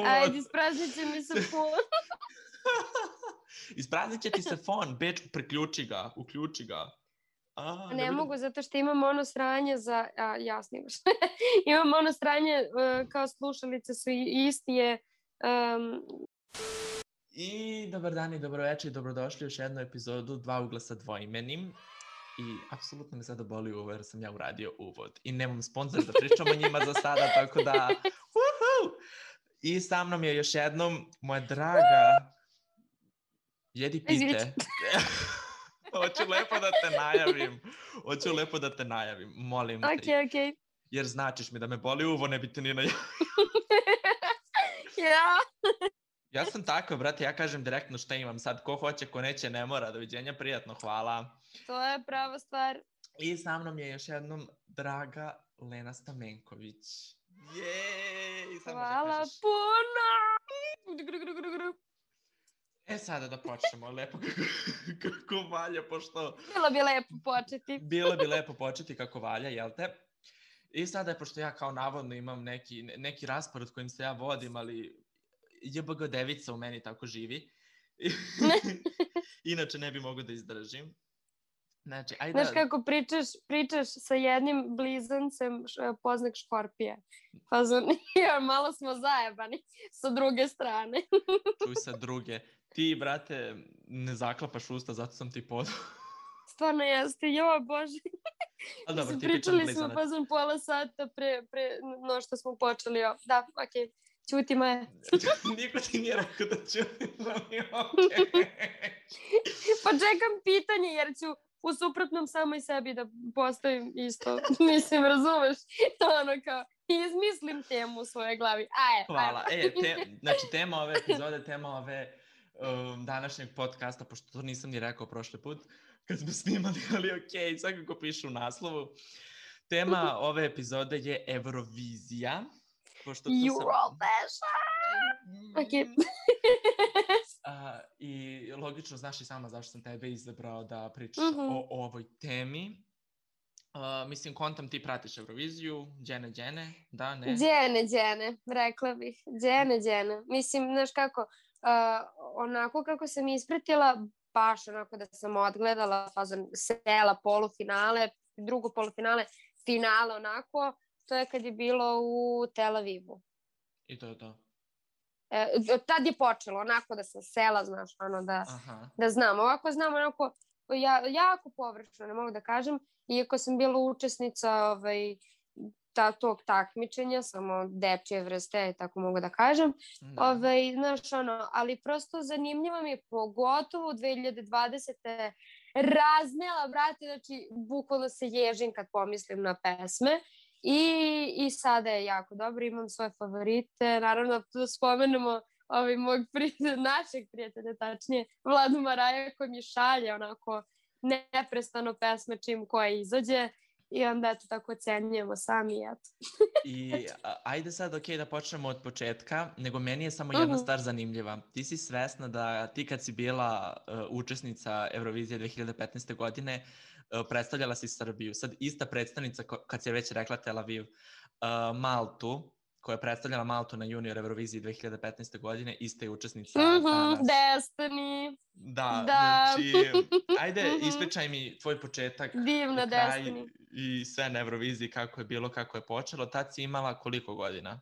Ajde, ispraznit će mi se fon. Ispraznit će ti se fon, Beč, uključi ga. Ne mogu, zato što imam ono sranje za... ja snimaš. Imam ono sranje, kao slušalice su isti je... I dobar dan i dobroveče i dobrodošli u još jednu epizodu Dva ugla sa dvoimenim. I apsolutno me sada boli uvo jer sam ja uradio uvod. I nemam sponsor da pričam o njima za sada, tako da... I sa mnom je još jednom moja draga... Jedi pite. Hoću lepo da te najavim. Molim te. Ok. Jer značiš mi da me boli uvo, ne bi te ni najavim. Ja sam tako, brate, ja kažem direktno šta imam sad. Ko hoće, ko neće, ne mora. Doviđenja, prijatno, hvala. To je prava stvar. I sa mnom je još jednom draga Lena Stamenković. Jej! Hvala puno! Sada da počnemo, lepo kako valja, pošto... Bilo bi lepo početi. Bilo bi lepo početi kako valja, jel te? I sada, pošto ja kao navodno imam neki raspored kojim se ja vodim, ali JBG devica u meni tako živi. Inače ne bi mogao da izdržim. Znači, ajde... Znaš kako pričaš sa jednim blizancem poznak škorpije. Pa malo smo zajebani sa druge strane. Čuj sa druge. Ti, brate, ne zaklapaš usta, zato sam ti podao. Stvarno jeste, joj bože. Ali dobro, tipičan pričali blizanac. smo pa pola sata pre no što smo počeli. Da, okej. Ćuti Maja. Niko ti nije rekao da ćutim, ali Pa čekam pitanje jer ću u suprotnom samo i sebi da postavim isto. Mislim, razumeš? Ono kao, izmislim temu u svojoj glavi. Hvala. Znači, tema ove epizode, tema ove današnjeg podcasta, pošto to nisam ni rekao prošli put, kad smo snimali, ali okej, svakako piše u naslovu. Tema ove epizode je Eurovizija. Eurovision! Okej. I logično, znaš i sama zašto sam tebe izabrao da pričaš o ovoj temi. Mislim, kontam ti pratiš Euroviziju, džene, da, ne? Džene, rekla bih. Džene. Mislim, znaš kako, onako kako sam ispratila, baš onako da sam odgledala sela, polufinale, drugo polufinale, finale onako, to je kad je bilo u Tel Avivu. I to je to. Tad je počelo, onako da sam sela, znaš, ono da znam. Ovako znam, onako, jako površno, ne mogu da kažem, iako sam bila učesnica tog takmičenja, samo dečje vrste, tako mogu da kažem. Znaš, ono, ali prosto zanimljivo mi je, pogotovo u 2020. raznela, brate, znači, bukvalno se ježim kad pomislim na pesme. I sada je jako dobro, imam svoje favorite, naravno da spomenemo našeg prijatelja, tačnije Vladu Maraja koji mi šalje onako neprestano pesme čim koja izađe i onda eto tako ocenjujemo sami i eto. I ajde sad da počnemo od početka, nego meni je samo jedna stvar zanimljiva. Ti si svesna da ti kad si bila učesnica Eurovizije 2015. godine, predstavljala si Srbiju. Sad ista predstavnica, kad si je već rekla Tel Aviv, Maltu, koja je predstavljala Maltu na junior Euroviziji 2015. godine, ista je učesnica danas. Destiny. Da, znači, ajde ispričaj mi tvoj početak. Divna Destiny. I sve na Euroviziji, kako je bilo, kako je počelo. Tad si imala koliko godina?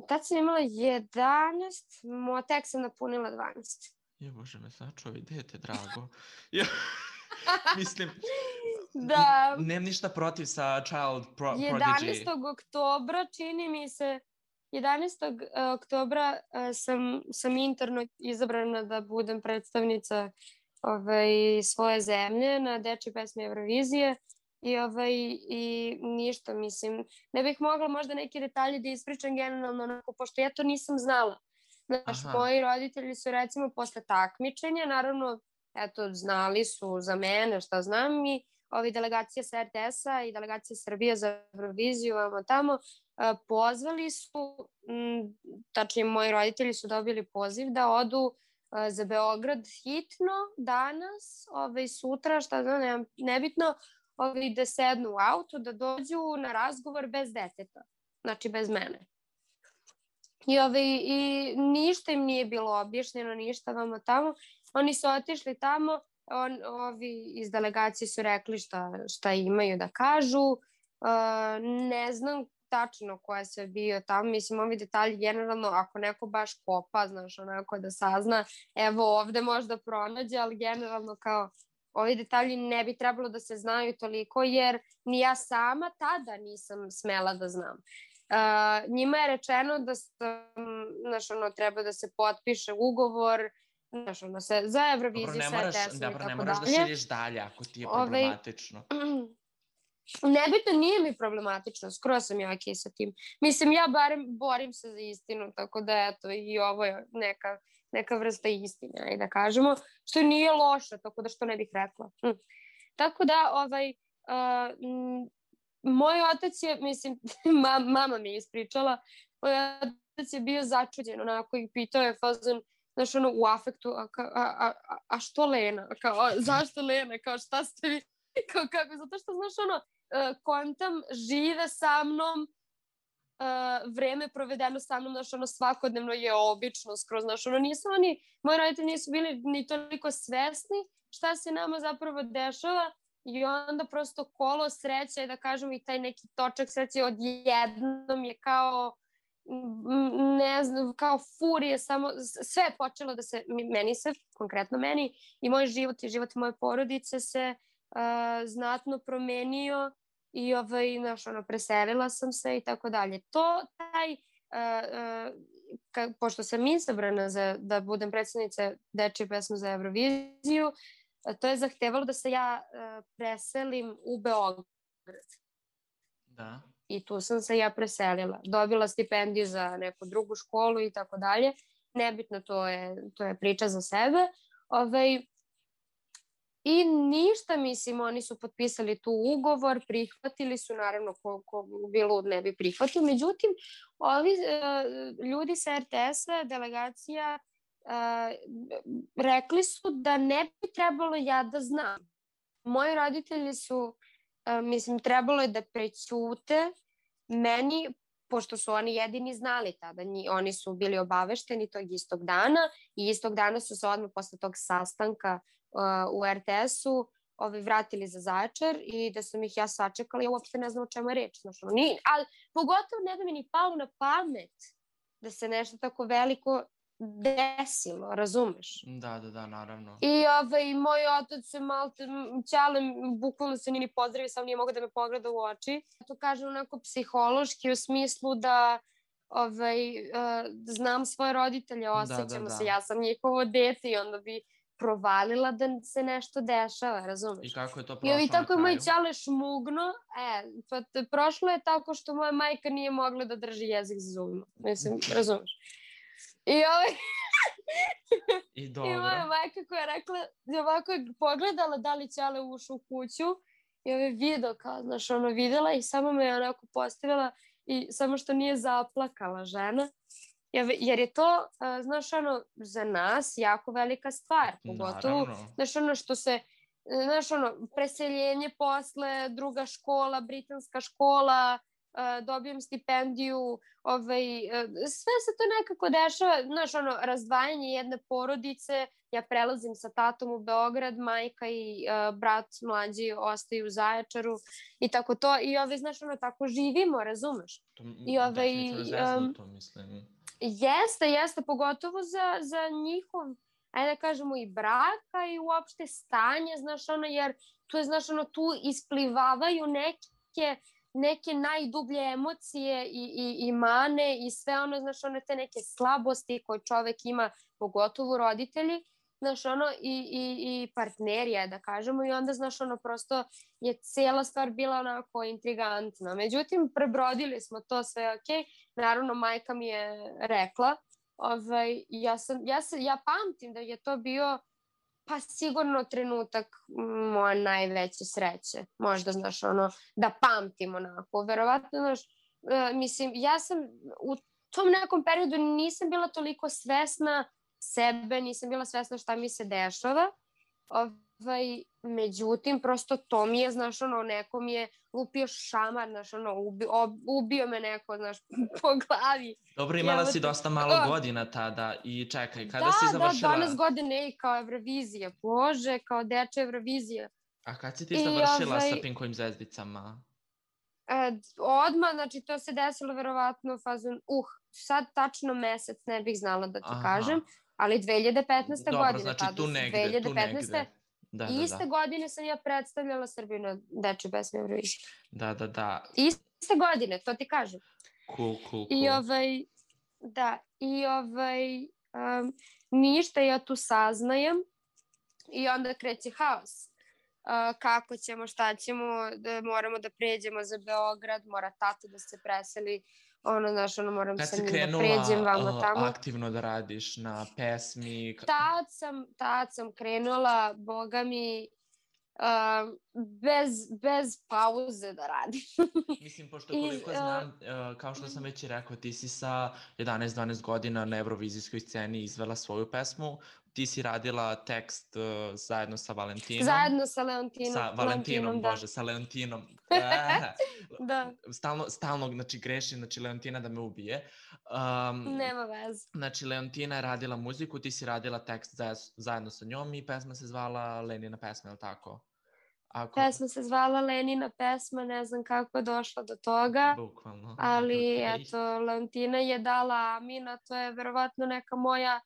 Tad sam imala 11, tek sam napunila 12. Je, Bože me sačuvaj, dete drago. Mislim, da. Nemam ništa protiv sa Child Prodigy. 11. oktobra, čini mi se, 11. oktobra sam interno izabrana da budem predstavnica svoje zemlje na dečje pesme Eurovizije i ništa, mislim, ne bih mogla možda neke detalje da ispričam generalno onako, pošto ja to nisam znala. Znaš, moji roditelji su recimo posle takmičenja, naravno, eto, znali su za mene šta znam i delegacija sa RTS-a i delegacija Srbije za Euroviziju, tamo, pozvali su, tačnije moji roditelji su dobili poziv da odu za Beograd hitno danas, sutra, šta znam, nebitno, da sednu u auto, da dođu na razgovor bez deteta, znači bez mene. I ništa im nije bilo objašnjeno, ništa vamo tamo. Oni su otišli tamo, ovi iz delegacije su rekli šta imaju da kažu. Ne znam tačno ko je sve bio tamo, mislim, ovi detalji generalno, ako neko baš kopa, znaš, onako da sazna, evo ovde možda pronađe, ali generalno kao ovi detalji ne bi trebalo da se znaju toliko, jer ni ja sama tada nisam smela da znam. Njima je rečeno da treba da se potpiše ugovor, za Euroviziju, sa RTS-om i tako dalje. Ne moraš da širiš dalje ako ti je problematično. Nebitno, nije mi problematično, skoro sam ja okej sa tim. Mislim, ja barem borim se za istinu, tako da eto, i ovo je neka vrsta istine, ajde da kažemo, što nije loše, tako da što ne bih rekla. Tako da, moj otac je, mislim, mama mi je ispričala, moj otac je bio začuđen, onako, i pitao je fazon, znaš, u afektu, a što Lena? Kao, zašto Lena? Kao, šta ste vi? Kao, kako? Zato što, znaš, kontam, žive sa mnom, vreme provedeno sa mnom, znaš, svakodnevno je obično, skroz, znaš, moji roditelji nisu bili ni toliko svesni šta se nama zapravo dešava i onda prosto kolo sreće, da kažemo, i taj neki točak sreće odjednom je kao, ne znam, kao furije, samo sve je počelo da se, konkretno meni i moj život i život moje porodice se znatno promenio i preselila sam se i tako dalje. Pošto sam izabrana da budem predstavnica dečije pesme za Euroviziju, to je zahtevalo da se ja preselim u Beograd. Da. I tu sam se ja preselila. Dobila stipendiju za neku drugu školu i tako dalje. Nebitno, to je priča za sebe. I ništa, mislim, oni su potpisali tu ugovor, prihvatili su, naravno, ko bi lud ne bi prihvatio. Međutim, ovi ljudi sa RTS-a, delegacija, rekli su da ne bi trebalo ja da znam. Moji roditelji su, mislim, trebalo je da prećute meni, pošto su oni jedini znali tada, oni su bili obavešteni tog istog dana i istog dana su se odmah posle tog sastanka u RTS-u vratili za Zaječar i da sam ih ja sačekala, ja uopšte ne znam o čemu je reč. Ali pogotovo ne da mi ni palo na pamet da se nešto tako veliko desilo, razumeš? Da, naravno. I moj otac se ćale, bukvalno se ni pozdravio, sam nije mogao da me pogleda u oči. To kažem onako psihološki u smislu da znam svoje roditelje, osjećamo se, ja sam njihovo dete i onda bi provalila da se nešto dešava, razumeš? I kako je to prošlo na kraju? I tako je moj ćale šmugno, prošlo je tako što moja majka nije mogla da drži jezik za zubima, mislim, razumeš? I moja majka koja je rekla, ovako je pogledala da li ćale ušao u kuću i video kao, znaš, videla i samo me je onako postavila i samo što nije zaplakala žena. Jer je to, znaš, za nas jako velika stvar, pogotovo, znaš, što se, znaš, preseljenje posle, druga škola, britanska škola, dobijem stipendiju, sve se to nekako dešava, znaš, razdvajanje jedne porodice, ja prelazim sa tatom u Beograd, majka i brat mlađi ostaju u Zaječaru i tako to, i znaš, tako živimo, razumeš? Definitivno zeznuto, mislim. Jeste, pogotovo za njihov, ajde da kažemo, i braka i uopšte stanje, znaš, jer tu je, znaš, tu isplivavaju neke najdublje emocije i mane i sve znaš, te neke slabosti koje čovek ima, pogotovo roditelji, znaš, i partnerija, da kažemo, i onda, znaš, prosto je cijela stvar bila onako intrigantna. Međutim, prebrodili smo to sve, okej. Naravno, majka mi je rekla, ja pamtim da je to bio, pa sigurno trenutak moja najveće sreće. Možda, znaš, da pamtim onako. Verovatno, znaš, mislim, ja sam u tom nekom periodu nisam bila toliko svesna sebe, nisam bila svesna šta mi se dešava Međutim, prosto to mi je, znaš, ono, neko mi je lupio šamar, znaš, ono, ubio me neko, znaš, po glavi. Dobro, imala si dosta malo godina tada i čekaj, kada si završila... Da, 12 godine i kao Eurovizija, Bože, kao dečja Eurovizija. A kad si ti završila sa Pinkovim zvezdicama? Odmah, znači to se desilo verovatno fazon, sad tačno mesec ne bih znala da ti kažem, ali 2015. Dobro, godine. znači tu negde. Da. Iste godine sam ja predstavljala Srbiju na dečjoj pesmi Eurovizije. Da. Iste godine, to ti kažem. Cool. I ništa, ja tu saznajem i onda kreće haos. Kako ćemo, šta ćemo, moramo da pređemo za Beograd, mora tata da se preseli, moram sa njim da pređem vamo tamo. Kad si krenula aktivno da radiš na pesmi? Tad sam krenula, boga mi, bez pauze da radim. Mislim, pošto koliko znam, kao što sam već i rekao, ti si sa 11-12 godina na evrovizijskoj sceni izvela svoju pesmu. Ti si radila tekst zajedno sa Valentinom. Zajedno sa Leontinom. Sa Valentinom, Bože, sa Leontinom. Da. Stalno, znači, grešim, znači, Leontina da me ubije. Nema veze. Znači, Leontina je radila muziku, ti si radila tekst zajedno sa njom i pesma se zvala Lenina pesma, je li tako? Pesma se zvala Lenina pesma, ne znam kako je došla do toga. Bukvalno. Ali, eto, Leontina je dala Amina, to je verovatno neka moja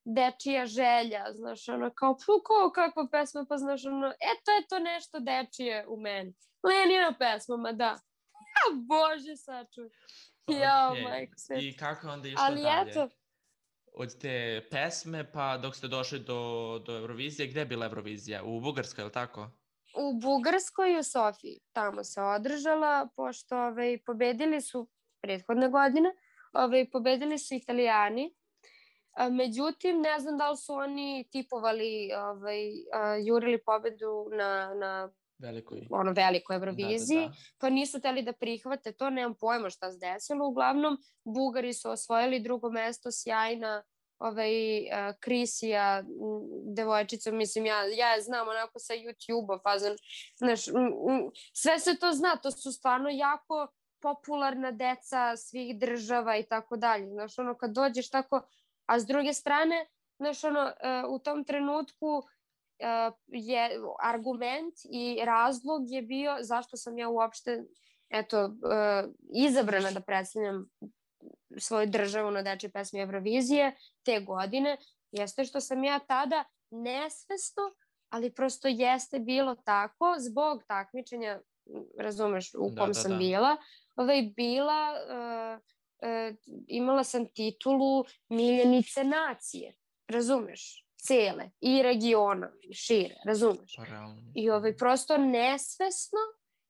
dečija želja, znaš, ono, kao, kakva pesma, pa znaš, ono, to nešto dečije u meni. Lenina pesma, ma da. Bože, sačuj. Majko sve. I kako onda išlo dalje? Ali eto. Od te pesme, pa dok ste došli do Eurovizije, gde je bila Eurovizija? U Bugarskoj, je li tako? U Bugarskoj i u Sofiji. Tamo se održala, pošto pobedili su prethodne godine, pobedili su Italijani. Međutim, ne znam da li su oni tipovali, jurili pobedu na velikoj Euroviziji, pa nisu hteli da prihvate to, nemam pojma šta se desilo. Uglavnom, Bugari su osvojili drugo mesto, sjajna Krisija, devojčica, mislim, ja je znam onako sa YouTube-a, fazan, znaš, sve se to zna, to su stvarno jako popularna deca svih država i tako dalje, znaš, ono, kad dođeš tako, a s druge strane, znaš, ono, u tom trenutku je argument i razlog je bio zašto sam ja uopšte, izabrana da predstavljam svoju državu na dečjoj pesmi Eurovizije te godine, jeste što sam ja tada nesvesno, ali prosto jeste bilo tako, zbog takmičenja, razumeš, u kom sam bila, imala sam titulu miljenice nacije, razumeš, cele, i regiona, šire, razumeš. I prosto nesvesno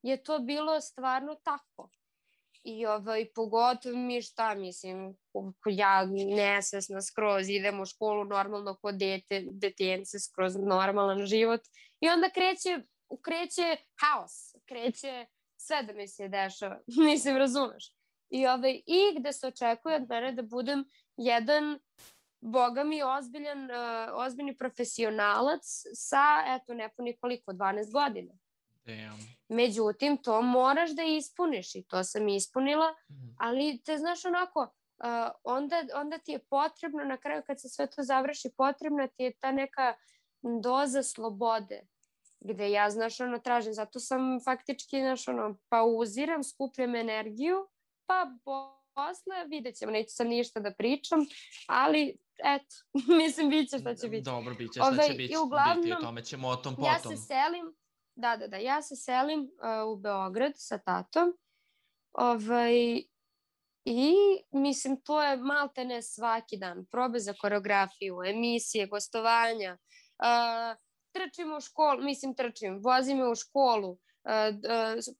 je to bilo stvarno tako. I pogotovo mi mislim, ja nesvesna skroz idem u školu normalno kod detence, skroz normalan život. I onda kreće haos, kreće sve da mi se dešava, mislim, razumeš. I gde se očekuje od mene da budem jedan, boga mi, ozbiljni profesionalac sa, nepuni koliko, 12 godina. Međutim, to moraš da ispuniš i to sam ispunila, ali te znaš onako, onda ti je potrebno, na kraju kad se sve to završi, potrebna ti je ta neka doza slobode, gde ja, znaš, tražim, zato sam faktički, znaš, pauziram, skupljam energiju, pa posle vidjet ćemo, neću sad ništa da pričam, ali eto, mislim, bit će šta će biti. Dobro, bit će šta će biti, o tome ćemo o tom potom. Ja se selim, ja se selim u Beograd sa tatom i mislim, to je maltene svaki dan, probe za koreografiju, emisije, gostovanja, trčim u školu, vozim me u školu,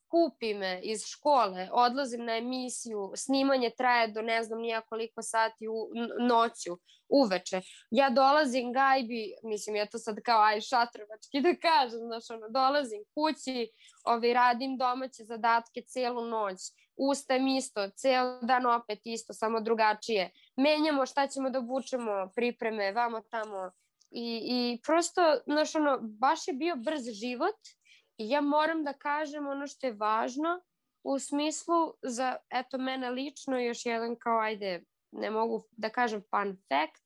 kupi me iz škole, odlazim na emisiju, snimanje traje do ne znam nija koliko sati noću, uveče. Ja dolazim gajbi, mislim, ja to sad kao šatrovački da kažem, znaš, dolazim kući, radim domaće zadatke celu noć, ustajem isto, ceo dan opet isto, samo drugačije. Menjamo šta ćemo da obučemo, pripreme, vamo tamo. I prosto, znaš, ono, baš je bio brz život i ja moram da kažem ono što je važno u smislu za, eto, mene lično još jedan kao, ajde, ne mogu da kažem fun fact,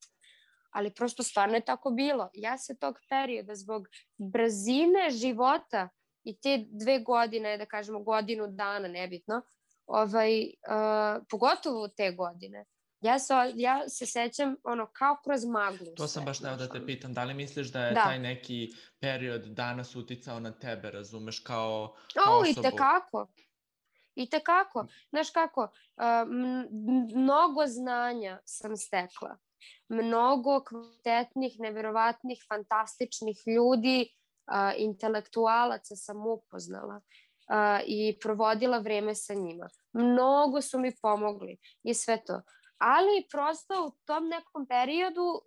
ali prosto stvarno je tako bilo. Ja se tog perioda zbog brzine života i te 2 godine, da kažemo godinu dana, nebitno, pogotovo te godine, ja se sećam ono kao kroz maglu. To sam baš da te pitam, da li misliš da je taj neki period danas uticao na tebe, razumeš, kao osobu? I tekako. Znaš kako, mnogo znanja sam stekla. Mnogo kvalitetnih, neverovatnih, fantastičnih ljudi, intelektualaca sam upoznala i provodila vreme sa njima. Mnogo su mi pomogli i sve to. Ali prosto u tom nekom periodu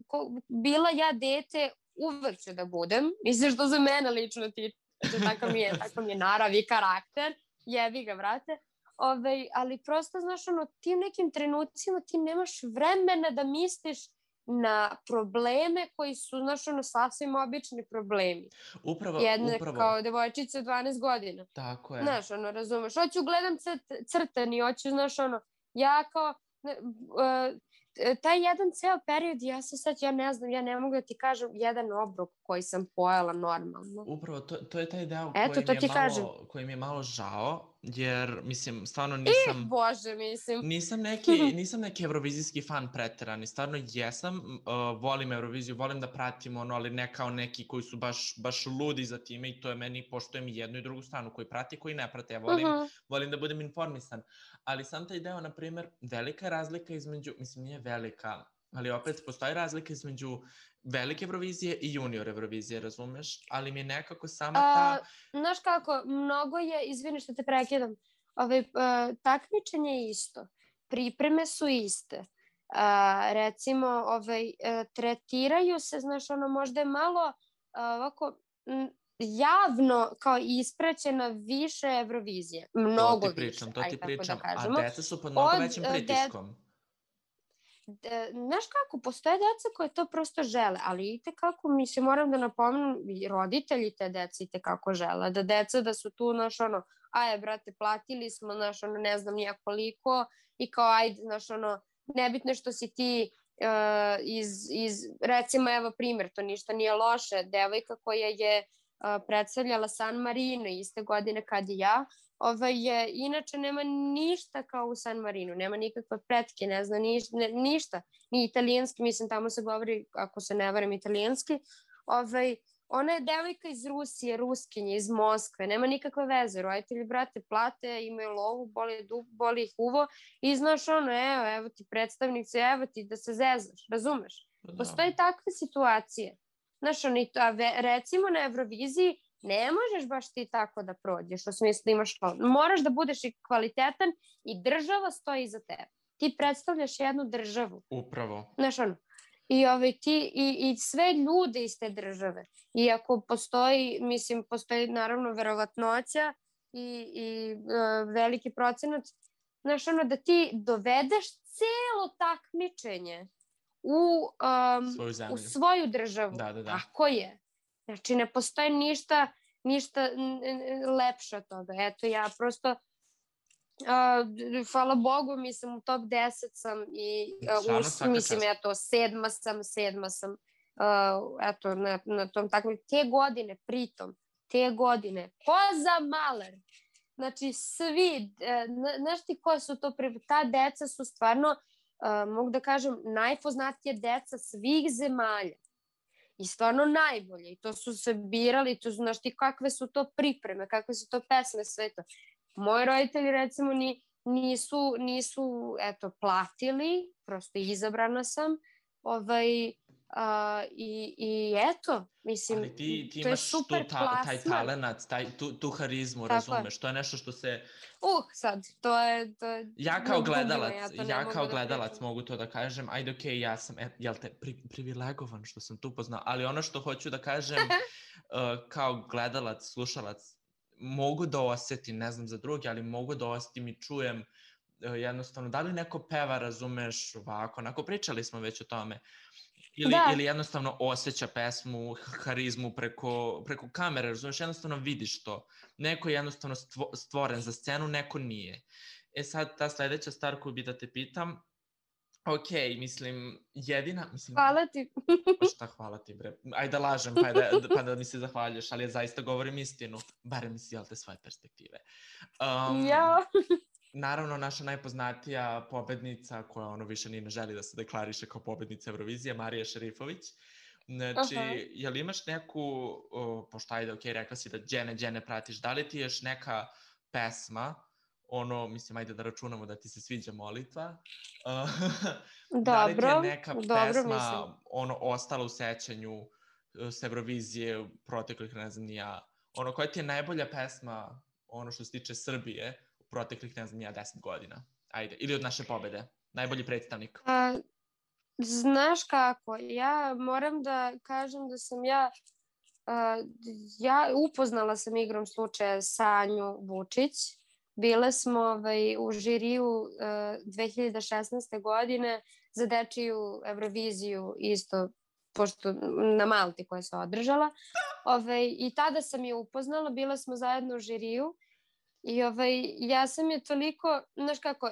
bila ja dete, uvek ću da budem, mislim što za mene lično tiče, tako mi je narav i karakter, jebi ga, brate. Ali prosto, znaš, ono, ti u nekim trenucima ti nemaš vremena da misliš na probleme koji su, znaš, ono, sasvim obični problemi. Upravo. Kao devojčica od 12 godina. Tako je. Znaš, ono, razumeš, hoću gledam crtani, hoću, znaš, ono, ja kao, taj jedan ceo period, ja ne znam, ja ne mogu da ti kažem jedan obrok koji sam pojela normalno. Upravo, to je taj deo koji mi je malo žao, jer, mislim, stvarno nisam... Bože, mislim. Nisam neki evrovizijski fan preterani, stvarno jesam, volim Euroviziju, volim da pratim ono, ali ne kao neki koji su baš ludi za time i to je meni, poštujem i jednu i drugu stranu, koji prati i koji ne prate, ja volim da budem informisan, ali sam taj deo, na primer, velika razlika između, mislim, nije velika, ali opet postoji razlika između velike Eurovizije i junior Eurovizije, razumeš? Ali mi je nekako sama ta... Znaš kako, mnogo je, izvini što te prekidam, takmičenje je isto, pripreme su iste, recimo, tretiraju se, znaš, ono, možda je malo ovako javno kao ispraćena više Eurovizije, mnogo više, ajde tako da kažemo. A deca su pod mnogo većim pritiskom. Znaš kako, postoje deca koje to prosto žele, ali i tekako, mislim, moram da napomenem, i roditelji te deca i tekako žele, da deca da su tu, znaš, ono, brate, platili smo, znaš, ono, ne znam nija koliko, i kao, ajde, znaš, ono, nebitno što si ti recimo, evo primjer, to ništa nije loše, devojka koja je predstavljala San Marino iste godine kad i ja, inače nema ništa kao u San Marinu, nema nikakve pretke, ne znam, ništa, ni italijanski, mislim, tamo se govori, ako se ne varam, italijanski, ona je devojka iz Rusije, Ruskinje, iz Moskve, nema nikakve veze, roditelji, brate, plate, imaju lovu, boli ih uvo i znaš ono, evo ti predstavnici, evo ti da se zezaš, razumeš? Postoji takve situacije. Znaš, recimo na Euroviziji ne možeš baš ti tako da prođeš, u smislu da imaš to. Moraš da budeš i kvalitetan i država stoji iza tebe. Ti predstavljaš jednu državu. Upravo. Znaš, ono, i sve ljude iz te države. I ako postoji, mislim, postoji naravno verovatnoća i veliki procenat, znaš, ono, da ti dovedeš celo takmičenje u svoju državu. Da. Tako je. Znači, ne postoji ništa lepše od toga. Eto, ja prosto, hvala Bogu, mislim, u top 10 sam i mislim, eto, sedma sam, eto, na tom takvom, te godine, koza maler. Znači, svi, znaš ti koje su to, ta deca su stvarno, mogu da kažem, najpoznatije deca svih zemalja. I stvarno najbolje. I to su se birali, to znaš ti kakve su to pripreme, kakve su to pesme, sve to. Moji roditelji, recimo, nisu eto, platili, prosto izabrana sam. I eto, mislim, ali ti to je super plasman. Taj talenat, tu harizmu, razumeš, to je nešto što se... sad, to je... Ja kao gledalac mogu to da kažem, ajde, okej, ja sam, jel te, privilegovan što sam tu poznao, ali ono što hoću da kažem, kao gledalac, slušalac, mogu da osetim, ne znam za drugi, ali mogu da osetim i čujem jednostavno, da li neko peva, razumeš, ovako, onako, pričali smo već o tome. Da. Ili jednostavno osjeća pesmu, harizmu preko kamere, razumeš, jednostavno vidiš to. Neko je jednostavno stvoren za scenu, neko nije. Sad, ta sledeća stvar koju bi da te pitam, ok, mislim, jedina... Mislim, hvala ti. Šta hvala ti, bre? Ajde da lažem, pa da mi se zahvaljuješ, ali ja zaista govorim istinu. Barem iz, jel te, svoje perspektive. Naravno, naša najpoznatija pobednica, koja ono više ni ne želi da se deklariše kao pobednica Eurovizije, Marija Šerifović. Znači, jel imaš neku, pošto ajde, ok, rekla si da Đene pratiš, da li ti još neka pesma, ono, mislim, ajde da računamo da ti se sviđa molitva, da li ti je neka pesma, ono, ostala u sećanju s Eurovizije u proteklih, ne znam, ono, koja ti je najbolja pesma, ono što se tiče Srbije, proteklih, ne znam, 10 godina. Ajde, ili od naše pobede. Najbolji predstavnik. Znaš kako, ja moram da kažem da sam ja upoznala sam igrom slučaja Sanju Vučić. Bile smo u žiriju 2016. godine za dečiju Euroviziju isto, pošto na Malti koja se održala. I tada sam je upoznala, bila smo zajedno u žiriju. I ja sam je toliko, znaš kako,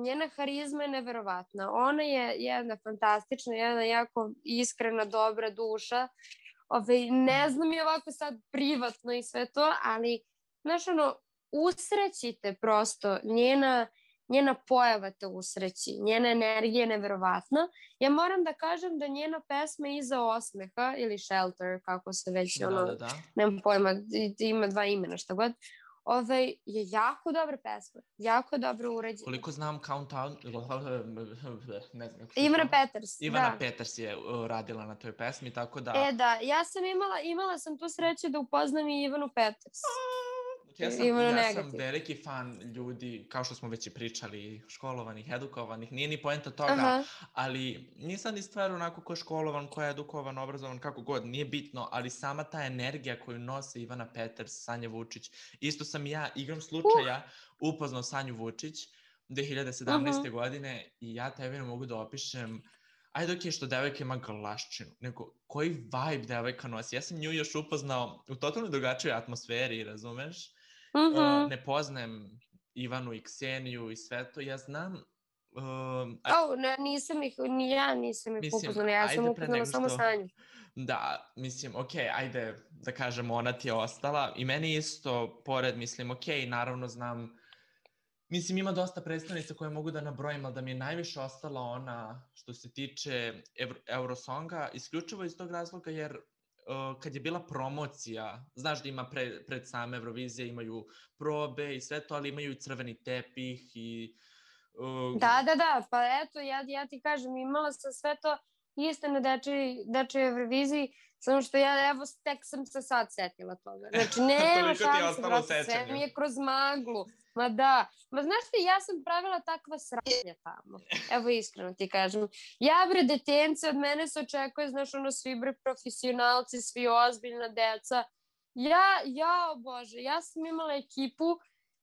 njena harizma je neverovatna. Ona je jedna fantastična, jedna jako iskrena, dobra duša. Ne znam je ovako sad privatno i sve to, ali, znaš, ono, usrećite prosto, njena pojava te usreći, njena energija je neverovatna. Ja moram da kažem da njena pesma Iza osmeha ili Shelter, kako se već, nemam pojma, ima 2 imena, šta god, je jako dobra pesma, jako dobro urađena. Koliko znam, Countdown, ne znam. Ivana Peters je radila na toj pesmi, tako da... Da, ja sam imala sam tu sreću da upoznam i Ivanu Peters. Ja sam veliki fan ljudi, kao što smo već i pričali, školovanih, edukovanih, nije ni poenta toga, ali nisam ni stvar onako ko je školovan, ko je edukovan, obrazovan, kako god, nije bitno, ali sama ta energija koju nose Ivana Peters, Sanja Vučić, isto sam ja igrom slučaja upoznao Sanju Vučić 2017. godine i ja tebi ne mogu da opišem, ajde ok, što devojka ima galaščinu, nego koji vibe devojka nosi. Ja sam nju još upoznao u totalno drugačijoj atmosferi, razumeš? Ne poznajem Ivanu i Kseniju i sve to, ja znam... nisam ih upoznala, ja sam upoznala samo Sanju. Da, mislim, ok, ajde da kažem, ona ti je ostala i meni isto, pored, mislim, ok, naravno znam, mislim, ima dosta predstavnica koje mogu da nabrojim, ali da mi je najviše ostala ona što se tiče Eurosonga, isključivo iz tog razloga jer kad je bila promocija, znaš da ima pred same Eurovizije, imaju probe i sve to, ali imaju i crveni tepih i... Da, pa eto, ja ti kažem, imala sam sve to isto na dečoj Euroviziji, samo što ja, evo, tek sam se sad setila toga. Znači, nema šanse, sve mi je kroz maglu. Ma da, znaš ti, ja sam pravila takva sranja tamo. Evo, iskreno ti kažem. Ja, bre, detence, od mene se očekuje, znaš, ono, svi, bre, profesionalci, svi ozbiljna deca. Bože, ja sam imala ekipu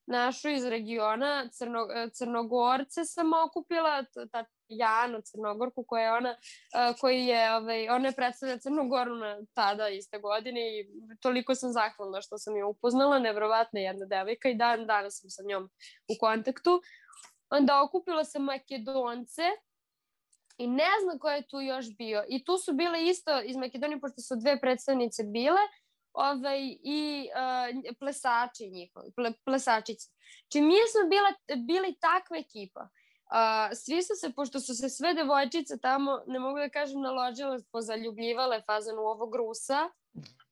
našu iz regiona, Crnogorce sam okupila, Janu Crnogorku ona je predstavlja Crnogoru tada iste godine i toliko sam zahvalna što sam je upoznala, neverovatna jedna devojka i danas sam sa njom u kontaktu. Onda okupila sam Makedonce i ne znam ko je tu još bio i tu su bile isto iz Makedonije, pošto su 2 predstavnice bile, i plesači njihovi, plesačice. Či mi smo bili takva ekipa. Svi su se, pošto su se sve devojčice tamo, ne mogu da kažem, naložile, pozaljubljivale fazan u ovog Rusa,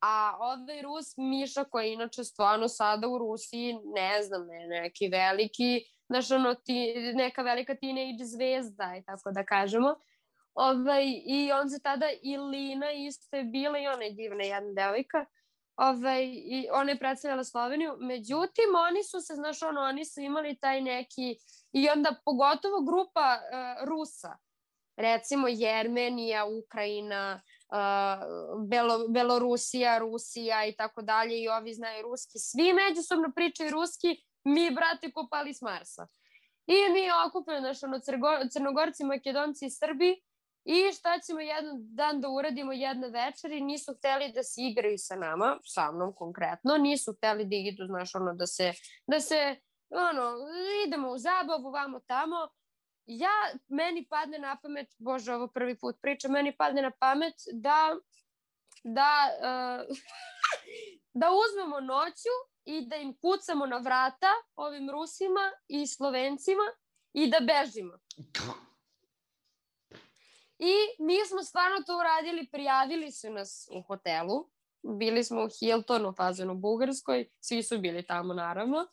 a ovaj Rus Miša, koji je inače stvarno sada u Rusiji, ne znam, neki veliki, znaš, ono, neka velika teenage zvezda, i tako da kažemo. I on se tada, i Lina isto je bila, i ona je divna jedna devojka, i ona je predstavljala Sloveniju, međutim oni su se, znaš, oni su imali taj neki, i onda pogotovo grupa Rusa, recimo Jermenija, Ukrajina, Belorusija, Rusija i tako dalje, i ovi znaju ruski, svi međusobno pričaju ruski, mi, brate, kopali s Marsa. I mi okupili, znaš, ono, Crnogorci, Makedonci i Srbi, i šta ćemo jedan dan da uradimo jedne večeri, nisu hteli da se igraju sa nama, sa mnom konkretno, nisu hteli da idu, znaš, ono, da se, ono, idemo u zabavu, vamo tamo. Meni padne na pamet, bože, ovo prvi put pričam, meni padne na pamet da uzmemo noću i da im kucamo na vrata ovim Rusima i Slovencima i da bežimo. I mi smo stvarno to uradili, prijavili su nas u hotelu, bili smo u Hiltonu, fazonu Bugarskoj, svi su bili tamo naravno,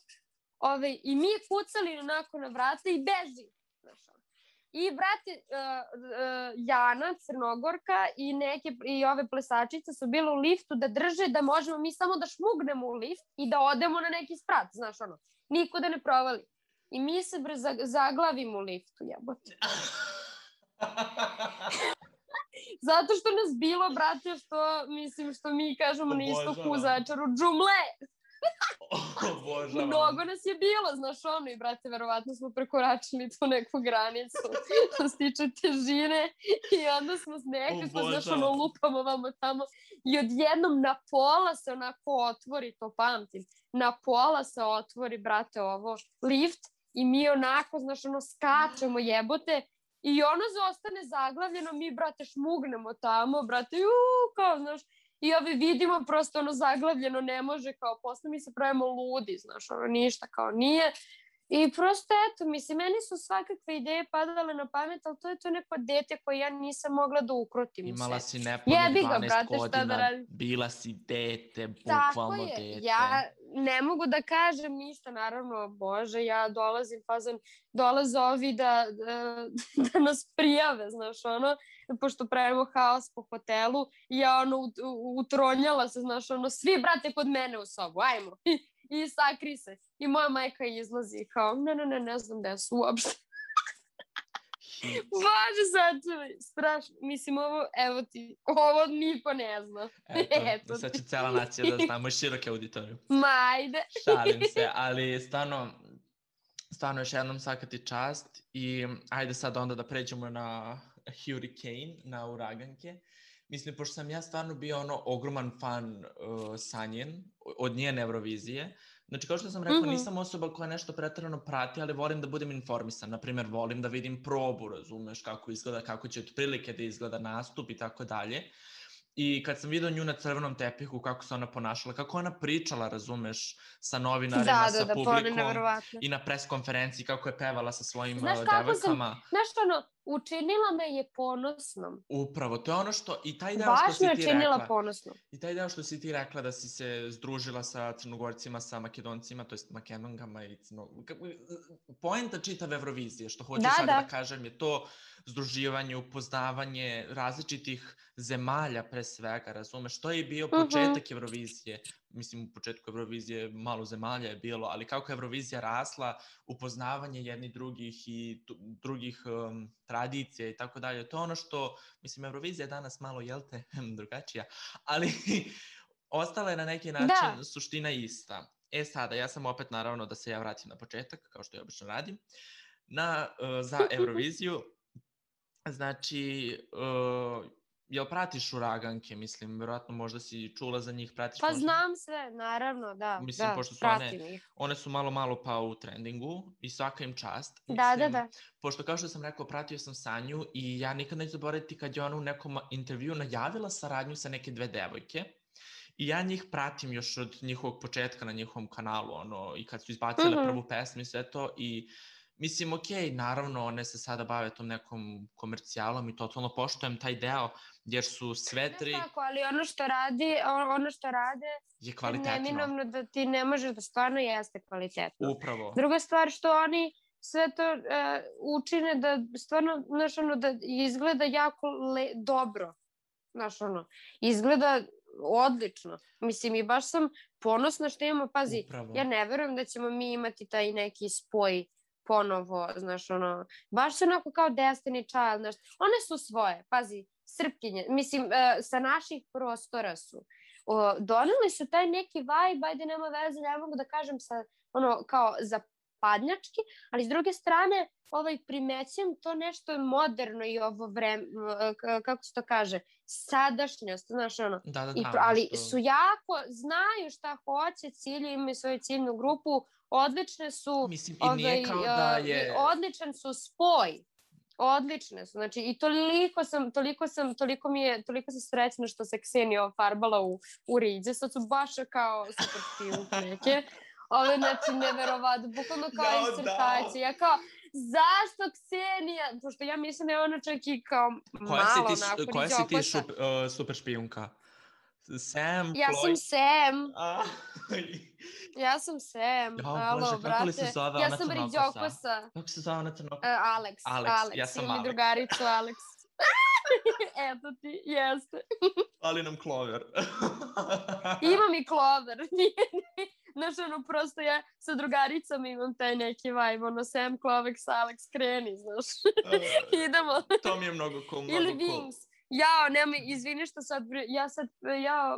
i mi kucali onako na vrata i beži. I brate, Jana, Crnogorka i ove plesačice su bile u liftu da drže da možemo mi samo da šmugnemo u lift i da odemo na neki sprat, znaš ono, niko da ne provali. I mi se zaglavimo u liftu, jebote. Zato što nas bilo, brate, što mi kažemo na istoku u Zaječaru, džumle! Mnogo nas je bilo, znaš ono, i brate, verovatno smo prekoračili tu neku granicu što se tiče težine i onda smo nekako, znaš ono, lupamo vamo tamo i odjednom na pola se onako otvori, to pamtim, na pola se otvori, brate, ovo, lift i mi onako, znaš ono, skačemo jebote i ono zostane zaglavljeno, mi, brate, šmugnemo tamo, brate, kao, znaš, i vidimo prosto ono zaglavljeno, ne može, kao posle mi se pravimo ludi, znaš, ono ništa kao nije. I prosto eto, mislim, meni su svakakve ideje padale na pamet, ali to je to neko dete koje ja nisam mogla da ukrotim u sebi. Imala si nepunih 12 godina, bila si dete, bukvalno dete. Tako je, ja ne mogu da kažem ništa, naravno, bože, ja dolaze ovi da nas prijave, znaš, ono, pošto pravimo haos po hotelu i ja, ono, utronjala se, znaš, ono, svi, brate, kod mene u sobu, ajmo. I sakri se. I moja majka izlazi kao, ne znam gde su uopšte. Bože, sačuvaj, strašno. Mislim, ovo niko ne zna. Eto, sad će cela nacija da znamo široke auditoriju. Majde. Šalim se, ali stvarno još jednom svaka ti čast i ajde sad onda da pređemo na Hurricane, na uraganke. Mislim, pošto sam ja stvarno bio ogroman fan Sanjen od njene Eurovizije. Znači, kao što sam rekao, nisam osoba koja nešto preterano prati, ali volim da budem informisan. Naprimjer, volim da vidim probu, razumeš, kako izgleda, kako će otprilike da izgleda nastup i tako dalje. I kad sam vidio nju na crvenom tepihu, kako se ona ponašala, kako ona pričala, razumeš, sa novinarima, sa publikom i na pres konferenciji, kako je pevala sa svojim devojkama. Znaš ono, učinila me je ponosnom. Upravo, to je ono što, i taj deo što si ti rekla. Baš me učinila ponosnom. I taj deo što si ti rekla da si se združila sa Crnogorcima, sa Makedoncima, to jest Makedonkama i poenta čitave Eurovizije, što hoću sad da kažem, je to združivanje, upoznavanje različitih zemalja pre svega, razumeš, to je bio početak Eurovizije. Mislim, u početku Eurovizije malo zemalja je bilo, ali kako je Eurovizija rasla, upoznavanje jednih drugih i drugih tradicija i tako dalje, to je ono što, mislim, Eurovizija je danas malo, jel te, drugačija, ali ostala je na neki način suština ista. Sada, ja sam opet, naravno, da se ja vratim na početak, kao što ja obično radim, za Euroviziju. Znači, jel pratiš uraganke, mislim, verovatno možda si čula za njih, pratiš možda? Pa znam sve, naravno, da, mislim, pošto su pratim ih. One su malo pa u trendingu i svaka im čast. Mislim, da. Pošto kao što sam rekao, pratio sam Sanju i ja nikad neću zaboraviti kad je ona u nekom intervju najavila saradnju sa neke 2 devojke. I ja njih pratim još od njihovog početka na njihovom kanalu, i kad su izbacile prvu pesmu i sve to i mislim, okej, naravno, one se sada bave tom nekom komercijalom i totalno poštujem taj deo, jer su sve 3... Ne tako, ali ono što rade je kvalitetno. Neminovno da ti ne može da stvarno jeste kvalitetno. Upravo. Druga stvar što oni sve to učine da stvarno, znaš, da izgleda jako dobro. Znaš, izgleda odlično. Mislim, i baš sam ponosna što imamo, pazi, ja ne verujem da ćemo mi imati taj neki spoj ponovo, znaš, baš su onako kao Destiny Child, znaš, one su svoje, pazi, Srpkinje, mislim, sa naših prostora su. Doneli su taj neki vibe, ajde nema veze, ne mogu da kažem ono kao zapadnjački, ali s druge strane primećujem to nešto moderno i ovo vreme, kako se to kaže, sadašnjost, znaš ono. Da, Ali nešto... su jako, znaju šta hoće, cilju, imaju svoju ciljnu grupu, odlične su, mislim, i nije kao da je... odličan su spoj. Odlične su, znači i toliko sam srećna što se Ksenija ofarbala u riđe, sad su baš kao super špijunke neke. Znači, neverovatno, bukvalno kao insertacija. Ja kao, zašto Ksenija? Pošto ja mislim da je ona čak i kao malo onako riđokosa. Koja si ti super špijunka? Sam, ja Chloe? Sam Sam. Ja sam Sam. Alo, brate. Kako se zove ja sam riđokosa. Kako se zove ona crnokosa? Alex. Ja sam imam Alex. Mi drugaricu Alex. Eto ti, jeste. Ali nam Clover. Imam i Clover. Znaš, ono, prosto ja sa drugaricama imam taj neki vibe, ono, Sam, Clovex, Alex, kreni, znaš. Idemo. To mi je mnogo cool, Ili Wings. Nemoj, izvini što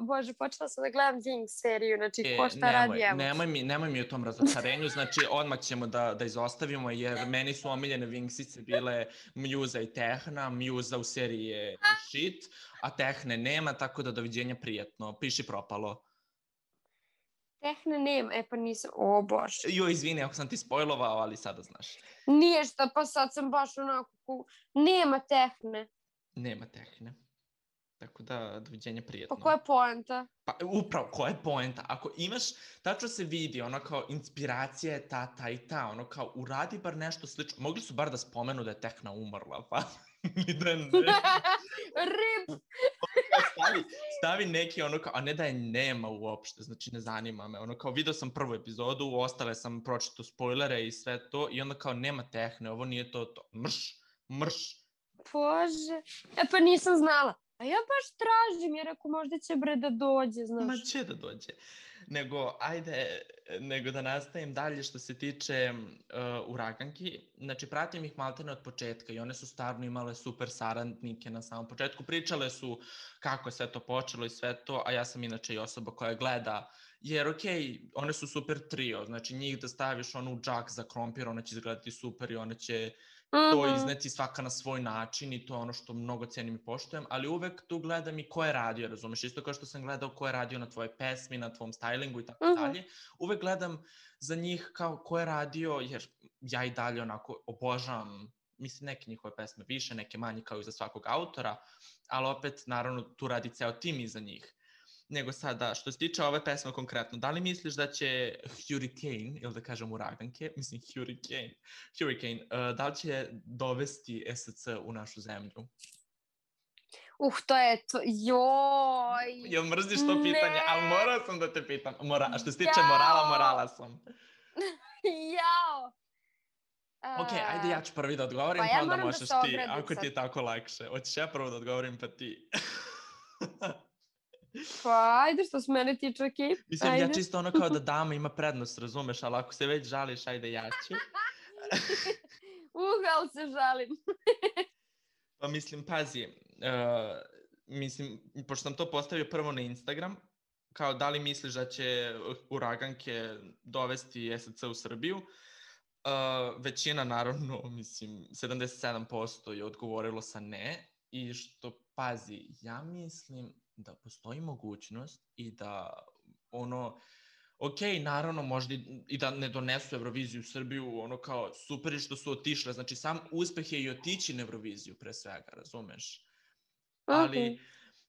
Bože, počela sam da gledam Wings seriju, znači, ko šta radi, evo. Nemoj mi o tom razočarenju, znači, odmah ćemo da izostavimo, jer meni su omiljene Wingsice bile Muza i Tehna, Muza u seriji je shit, a Tehne nema, tako da doviđenja prijatno, piši propalo. Tehne nema, pa nisam, bože. Izvini ako sam ti spojlovao, ali sada znaš. Nije šta, pa sad sam baš onako, nema Tehne. Nema Tehne. Tako da, doviđenja prijatno. Pa koja je poenta? Pa upravo, koja je poenta? Ako imaš, tačno se vidi, ono kao inspiracija je ta i ta, ono kao uradi bar nešto slično. Mogli su bar da spomenu da je Tehna umrla, pa ni da ne. Rip! Stavi neki ono kao, a ne da je nema uopšte, znači ne zanima me. Ono kao, video sam prvu epizodu, ostale sam pročitao spoilere i sve to i onda kao nema Tehne, ovo nije to. Mrš. Bože, pa nisam znala. A ja baš tražim, jer ako možda će da dođe, znaš. Ma će da dođe. Nego da nastavim dalje što se tiče Uraganki. Znači, pratim ih maltene od početka i one su stvarno imale super saradnike na samom početku. Pričale su kako je sve to počelo i sve to, a ja sam inače i osoba koja gleda. Jer one su super trio, znači njih da staviš u džak za krompir, ona će izgledati super i ona će to izneti svaka na svoj način i to je ono što mnogo cenim i poštujem, ali uvek tu gledam i ko je radio, razumeš, isto kao što sam gledao ko je radio na tvoje pesmi, na tvom stylingu i tako dalje, uvek gledam za njih kao ko je radio, jer ja i dalje onako obožavam, mislim neke njihove pesme više, neke manje kao i za svakog autora, ali opet naravno tu radi ceo tim iza njih. Nego sada, što se tiče ove pesme konkretno, da li misliš da će Hurricane, ili da kažem Uraganke, mislim Hurricane, da li će dovesti SC u našu zemlju? To je to, joj! Jel mrziš to pitanje? Ali morao sam da te pitam. Što se tiče morala sam. Jao! Ok, ajde ja ću prvi da odgovorim, pa onda možeš ti, ako ti je tako lakše. Hoćeš ja prvo da odgovorim, pa ti. Pa ajde, što se mene tiče, okej. Mislim, ja čisto ono kao da dama ima prednost, razumeš, ali ako se već žališ, ajde ja ću. Ali se žalim. Pa mislim, pazi, pošto sam to postavio prvo na Instagram, kao da li misliš da će Uraganke dovesti SC u Srbiju, većina, naravno, mislim, 77% je odgovorilo sa ne, i što, pazi, ja mislim da postoji mogućnost i da naravno možda i da ne donesu Euroviziju u Srbiju, ono kao super je što su otišle, znači sam uspeh je i otići na Euroviziju pre svega, razumeš?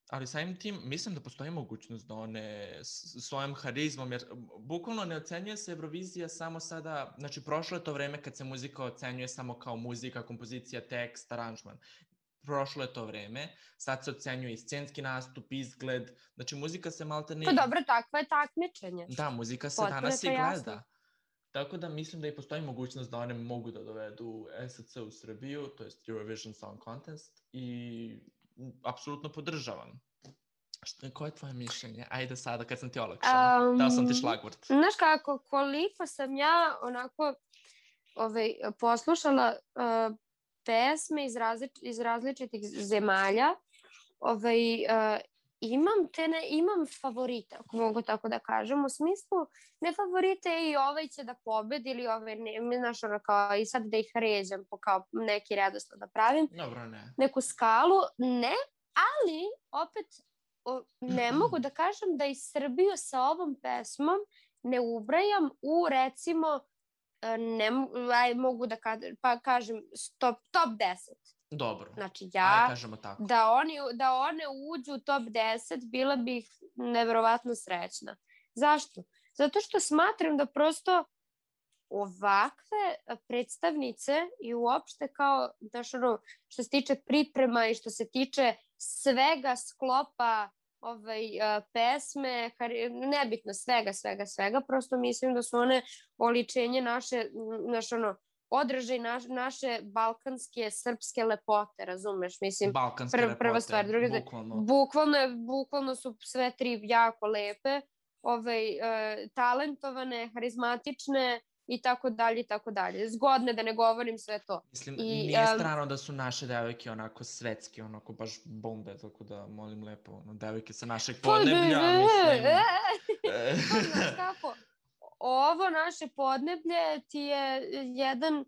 Ali samim tim mislim da postoji mogućnost da one svojom harizmom, jer bukvalno ne ocenjuje se Eurovizija samo sada, znači prošlo je to vreme kad se muzika ocenjuje samo kao muzika, kompozicija, tekst, aranžman. Prošlo je to vreme, sad se ocenjuje i scenski nastup, izgled, znači muzika se maltene... Pa dobro, takva je takmičenje. Da, muzika se danas i gleda. Tako da mislim da i postoji mogućnost da one mogu da dovedu SC u Srbiju, to je Eurovision Song Contest, i apsolutno podržavam. Koje je tvoje mišljenje? Ajde sada kad sam ti olakšala, dao sam ti šlagvort. Znaš kako, koliko sam ja onako poslušala pesme iz različitih zemalja, imam favorite, ako mogu tako da kažem, u smislu ne favorite i ovaj će da pobedi ili ovaj ne, znaš, ono kao i sad da ih ređam po kao neki redosled da pravim, Dobro, ne. neku skalu, ne, ali opet ne mogu da kažem da i Srbiju sa ovom pesmom ne ubrajam u recimo mogu da kažem top 10. Dobro. Znači Ajde kažemo tako. Da one uđu u top 10 bila bih neverovatno srećna. Zašto? Zato što smatram da prosto ovakve predstavnice i uopšte kao što se tiče priprema i što se tiče svega sklopa pesme, nebitno svega, prosto mislim da su one oličenje naše odražaj naše balkanske, srpske lepote, razumeš? Mislim, prva stvar, druga bukvalno su sve tri jako lepe, talentovane, harizmatične i tako dalje. Zgodne, da ne govorim sve to. Mislim, nije strano da su naše devojke onako svetske, onako baš bombe, tako da molim lepo, devojke sa našeg podneblja, mislim. Znaš kako? Ovo naše podneblje ti je jedan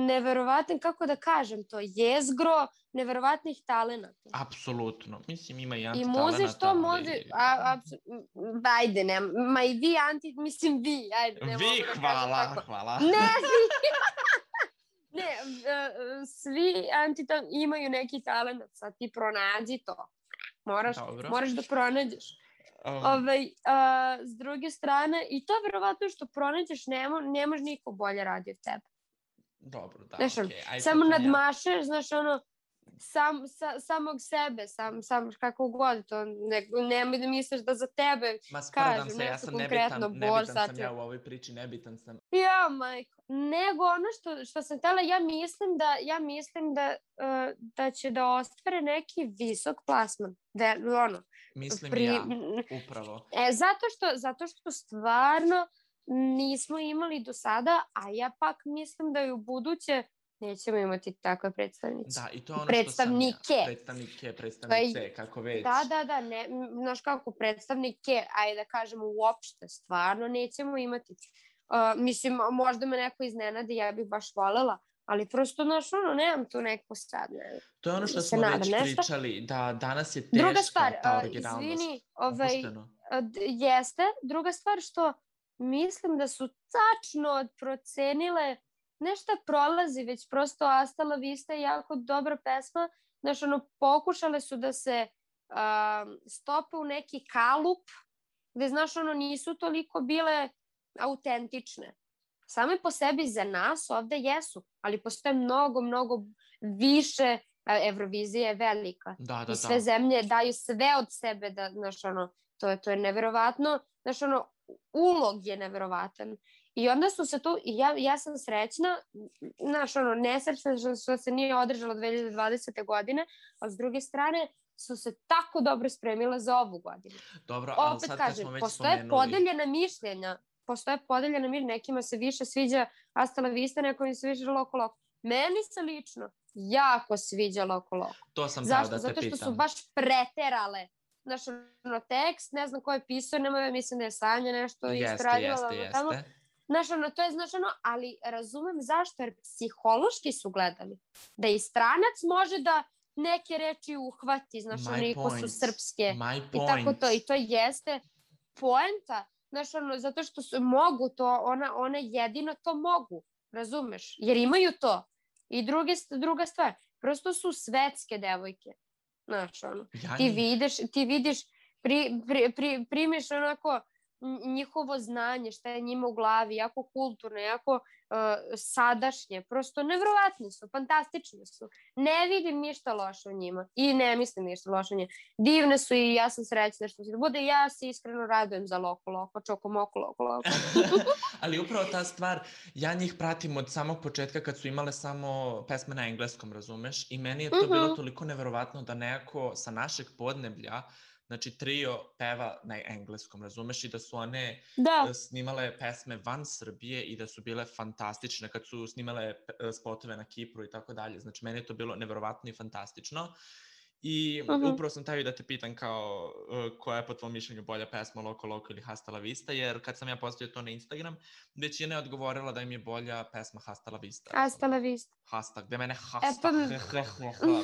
neverovatan, kako da kažem to, jezgro neverovatnih talenata. Apsolutno. Mislim, ima i antitalenata. I muze što može... Ajde, ne, ma i vi mislim vi, ajde. Ne vi, hvala. Ne, vi. Ne, svi imaju neki talent, sad ti pronađi to. Moraš da pronađeš. S druge strane, i to verovatno što pronađeš, ne može niko bolje radi od tebe. Dobro, da, okej. Samo nadmašeš, znaš, samog sebe, sam kako god to, nemoj da misliš da za tebe kažem nešto konkretno. Nebitan sam ja u ovoj priči, nebitan sam. Ja, majko, nego ono što sam htjela, ja mislim da će da ostvare neki visok plasman, mislim ja, upravo. Zato što stvarno nismo imali do sada, a ja pak mislim da i u buduće nećemo imati takve predstavnice. Da, i to je ono predstavnike. Što sam ja. Predstavnice, kako već. Da, ne, znaš kako, predstavnike, ajde da kažemo uopšte, stvarno nećemo imati. Mislim, možda me neko iznenadi, ja bih baš volela, ali prosto, znaš, nemam tu neko sad. To je ono što smo već pričali, da danas je teška ta originalnost. Izvini, jeste. Druga stvar što mislim da su tačno procenile, nešto prolazi, već prosto Hasta la vista je jako dobra pesma, znaš, pokušale su da se stope u neki kalup, gde, znaš, nisu toliko bile autentične. Same po sebi za nas ovde jesu, ali postoje mnogo više, Evrovizija je velika. I sve zemlje daju sve od sebe, da, znaš, to je neverovatno, znaš, ulog je neverovatan. I onda su se tu, ja sam srećna, znaš, nesrećna što se nije održalo 2020. godine, a s druge strane su se tako dobro spremile za ovu godinu. Dobro, ali sad kad smo već spomenuli... Postoje podeljena mišljenja, nekima se više sviđa Hasta la vista, nekima se više Loko Loko. Meni se lično jako sviđa Loko Loko. To sam teo da te pitam. Zato što su baš preterale. Znaš, tekst, ne znam ko je pisao, mislim da je Sanja nešto istradila. Jeste. Znaš, to je, ali razumem zašto, jer psihološki su gledali. Da i stranac može da neke reči uhvati, znaš, ko su srpske. I tako to, i to jeste poenta, znaš, zato što mogu to, one jedino to mogu, razumeš, jer imaju to. I druga stvar, prosto su svetske devojke, znaš, ti vidiš, primiš onako njihovo znanje, šta je njima u glavi, jako kulturno, jako sadašnje, prosto nevjerovatni su, fantastični su. Ne vidim ništa loše u njima i ne mislim ništa loše u njima. Divne su i ja sam srećna što se da bude, ja se iskreno radujem za Loko Loko, Čoko Moko Loko Loko. Ali upravo ta stvar, ja njih pratim od samog početka kad su imale samo pesme na engleskom, razumeš? I meni je to bilo toliko nevjerovatno da nekako sa našeg podneblja, znači trio peva na engleskom, razumeš, i da su one snimale pesme van Srbije i da su bile fantastične kad su snimale spotove na Kipru i tako dalje. Znači, meni je to bilo nevjerovatno i fantastično. I upravo sam taj da te pitan kao koja je po tvom mišljenju bolja pesma Loco Loco ili Hasta la Vista, jer kad sam ja postavio to na Instagram, većina je odgovorila da im je bolja pesma Hasta la Vista. Hasta la Vista. Hasta, gde mene hasta,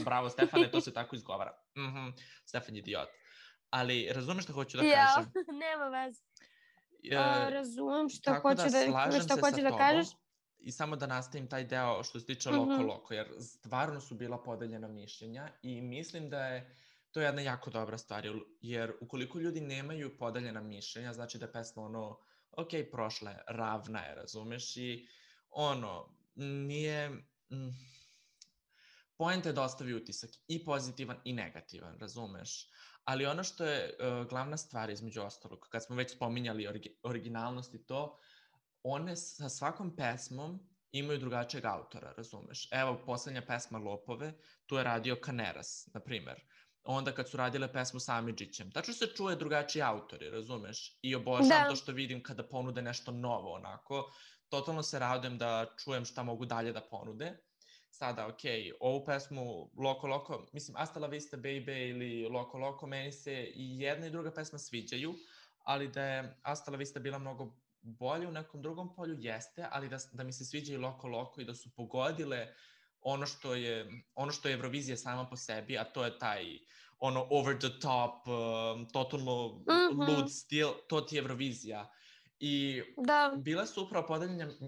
bravo Stefane, to se tako izgovara. Stefan je idiot. Ali razumeš šta hoću da kažem? Nema veze. Razumem šta tako hoće da kažeš. I samo da nastavim taj deo što se tiče Loco Loco, jer stvarno su bila podeljena mišljenja i mislim da je to jedna jako dobra stvar, jer ukoliko ljudi nemaju podeljena mišljenja, znači da je pesma ok, prošla je, ravna je, razumeš, i nije... Poenta je da ostavi utisak i pozitivan i negativan, razumeš? Ali ono što je glavna stvar između ostalog, kad smo već spominjali originalnost i to, one sa svakom pesmom imaju drugačijeg autora, razumeš? Evo, poslednja pesma Lopove, tu je radio Kaneras, na primer. Onda kad su radile pesmu sa Amidžićem, tačno se čuje drugačiji autori, razumeš? I obožavam to što vidim kada ponude nešto novo, onako. Totalno se radujem da čujem šta mogu dalje da ponude. Sada, ovu pesmu Loco Loco, mislim, Hasta la Vista Baby ili Loco Loco, meni se i jedna i druga pesma sviđaju, ali da je Hasta la Vista bila mnogo bolje u nekom drugom polju, jeste, ali da mi se sviđa i Loco Loco i da su pogodile ono što je Eurovizija sama po sebi, a to je taj over the top, totalno lud stil, to ti je Eurovizija. I bila su upravo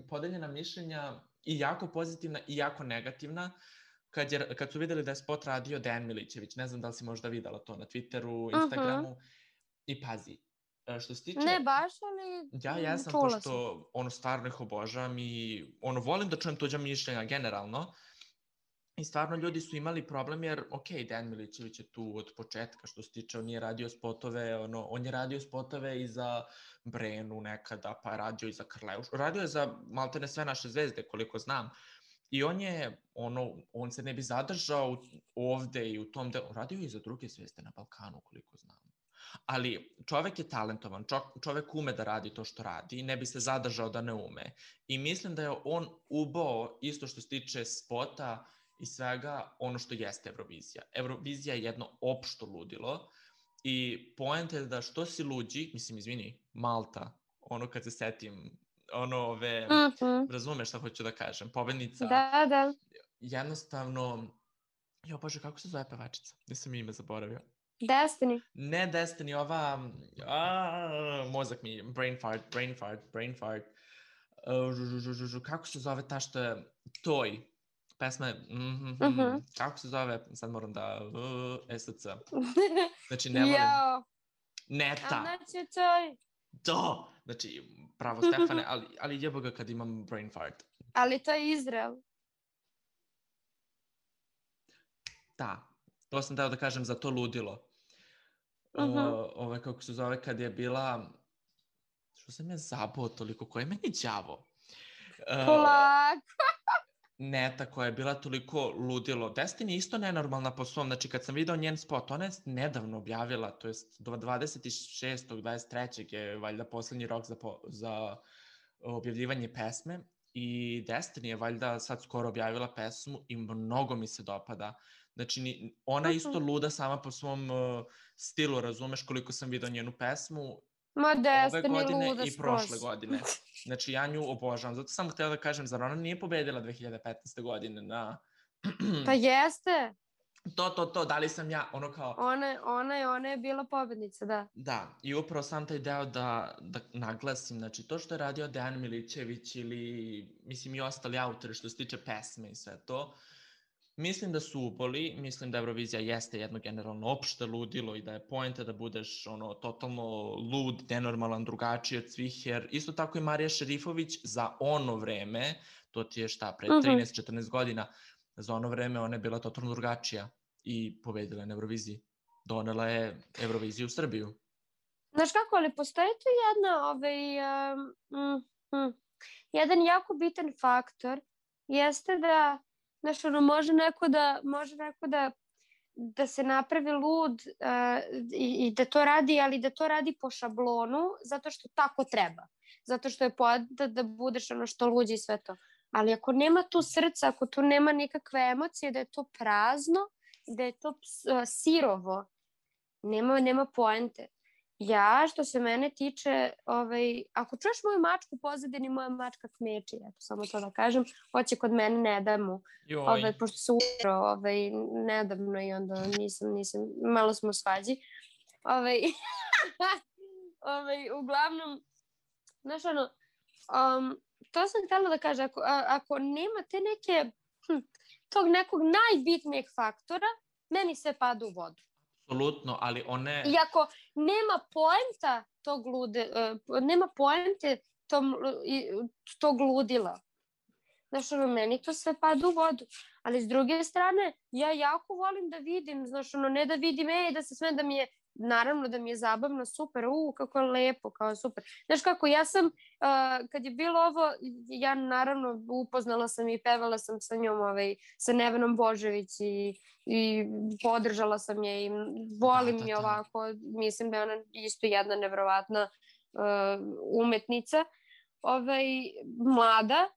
podeljena mišljenja i jako pozitivna i jako negativna, kad su videli da je spot radio Dejan Milićević. Ne znam da li si možda videla to na Twitteru, Instagramu. I pazi, što se tiče... Ne baš, ali ja jesam, pošto stvarno ih obožavam i volim da čujem tuđa mišljenja generalno. I stvarno ljudi su imali problem jer, Dejan Milićević je tu od početka, što se tiče, on je radio spotove, on je radio spotove i za Brenu nekada, pa je radio i za Karleuš. Radio je za maltene sve naše zvezde, koliko znam. I on se ne bi zadržao ovde i u tom delu. Radio je i za druge zvezde na Balkanu, koliko znam. Ali čovek je talentovan, čovek ume da radi to što radi i ne bi se zadržao da ne ume. I mislim da je on ubao, isto što se tiče spota i svega, ono što jeste Eurovizija. Eurovizija je jedno opšto ludilo i poenta je da što si luđi, mislim, izvini, Malta, kad se setim, razumeš šta hoću da kažem, pobednica. Da. Jednostavno, Bože, kako se zove pevačica? Nisam ime zaboravio. Destiny. Ne Destiny, ova... mozak mi, brain fart. Kako se zove ta što je... Toj. Pesma je... Kako se zove? Sad moram da... SC. Znači, ne volim... Neta. Znači, Toj. To! Znači, pravo Stefane, ali jebo ga kad imam brain fart. Ali to je Izrael. Da. To sam dao da kažem za to ludilo. Kako se zove, kad je bila... Što sam ja zabao toliko? Ko je meni đavo? Polako! Neta koja je bila toliko ludilo. Destiny isto nenormalna po svom. Znači, kad sam video njen spot, ona je nedavno objavila, to je 26. 23. je valjda poslednji rok za objavljivanje pesme. I Destiny je valjda sad skoro objavila pesmu i mnogo mi se dopada. Znači, ona je isto luda sama po svom stilu, razumeš koliko sam vidio njenu pesmu ove godine i prošle godine. Znači, ja nju obožavam. Zato sam htela da kažem, zar ona nije pobedila 2015. godine na... Pa jeste. To, da li sam ja, kao... Ona je bila pobednica, da. Da, i upravo sam taj deo da naglasim, znači, to što je radio Dejan Milićević ili, mislim, i ostali autori što se tiče pesme i sve to, mislim da su uboli, mislim da Eurovizija jeste jedno generalno opšte ludilo i da je poenta da budeš totalno lud, nenormalan, drugačiji od svih, jer isto tako i Marija Šerifović za ono vreme, to ti je šta, pre 13-14 godina, za ono vreme ona je bila totalno drugačija i pobedila je na Euroviziji. Donela je Euroviziju u Srbiju. Znaš kako, ali postoji tu jedan jako bitan faktor, jeste da može neko da se napravi lud i da to radi, ali da to radi po šablonu, zato što tako treba. Zato što je poenta da budeš što luđi i sve to. Ali ako nema tu srca, ako tu nema nikakve emocije, da je to prazno da je to sirovo, nema poente. Ja, što se mene tiče, ako čuješ moju mačku u pozadini, moja mačka kmeči, eto, samo to da kažem, hoće kod mene, ne da mu, pošto se umro, nedavno i onda nisam, malo smo u svađi. Uglavnom, znaš ono, to sam htjela da kažem, ako nema te neke, tog nekog najbitnijeg faktora, meni sve pada u vodu. Apsolutno, ali one... I ako nema poenta nema poente tog ludila. Znaš, meni to sve pada u vodu. Ali s druge strane, ja jako volim da vidim, znaš, ne da vidim, da se sve da mi je, naravno da mi je zabavno, super, kako je lepo, kao super. Znaš kako, ja sam, kad je bilo ovo, ja naravno upoznala sam i pevala sam sa njom, sa Nevenom Božević i podržala sam je i volim je ovako, mislim da je ona isto jedna nevjerovatna umetnica, mlada,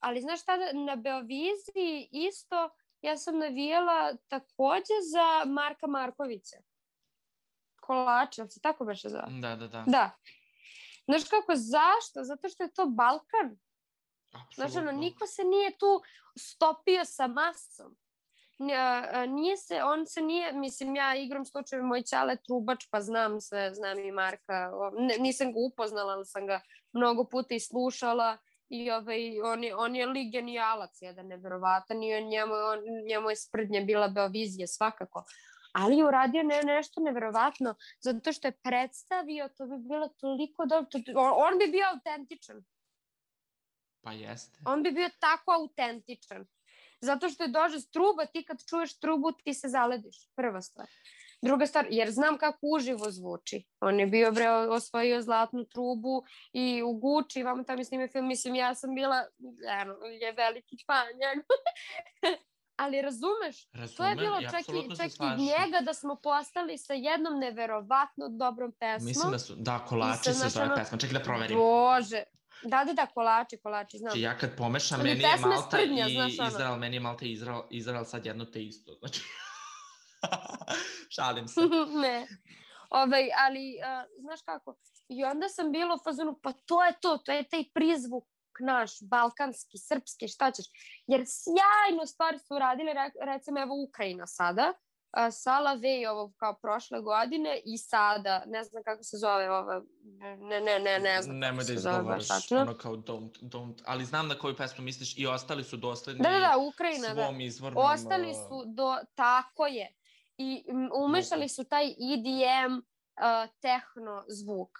ali znaš šta, na Beoviziji isto ja sam navijala takođe za Marka Markovića. Kolače, ali se tako beše zove? Da. Znaš kako, zašto? Zato što je to Balkan. Znaš, niko se nije tu stopio sa masom. On se nije, mislim, ja igram slučajeve, moj ćale trubač, pa znam sve, znam i Marka. Nisam ga upoznala, ali sam ga mnogo puta i slušala. I on je lik genijalac, jedan nevjerovatan, i njemu je sprdnja bila Beovizija svakako. Ali je uradio nešto nevjerovatno, zato što je predstavio, to bi bilo toliko dobro, on bi bio autentičan. Pa jeste. On bi bio tako autentičan. Zato što je dođe truba, ti kad čuješ trubu, ti se zalediš, prva stvar. Druga stvar, jer znam kako uživo zvuči. On je bio, osvojio zlatnu trubu i u Gucci, vamo tamo snimio film, mislim, ja sam bila, je veliki fan njega. Ali razumeš, to je bilo čak i njega da smo postali sa jednom neverovatno dobrom pesmom. Mislim da su, Kolači se zove pesma, čekaj da proverim. Bože, da, Kolači, znam. Ja kad pomešam, meni je Malta i Izrael, meni je Malta i Izrael sad jedno te isto, znači... Šalim se. Ne. Ali, znaš kako, i onda sam bila u fazonu, pa to je taj prizvuk naš, balkanski, srpski, šta ćeš. Jer sjajno stvari su uradili, recimo evo Ukrajina sada, Sala Vej ovo kao prošle godine i sada, ne znam kako se zove ovo, ne znam nemoj da izgovoriš, ono kao don't, ali znam na koju pesmu misliš i ostali su dosledni Ukrajina, svom izvornom... Ostali su tako je. I umešali su taj EDM tehno zvuk.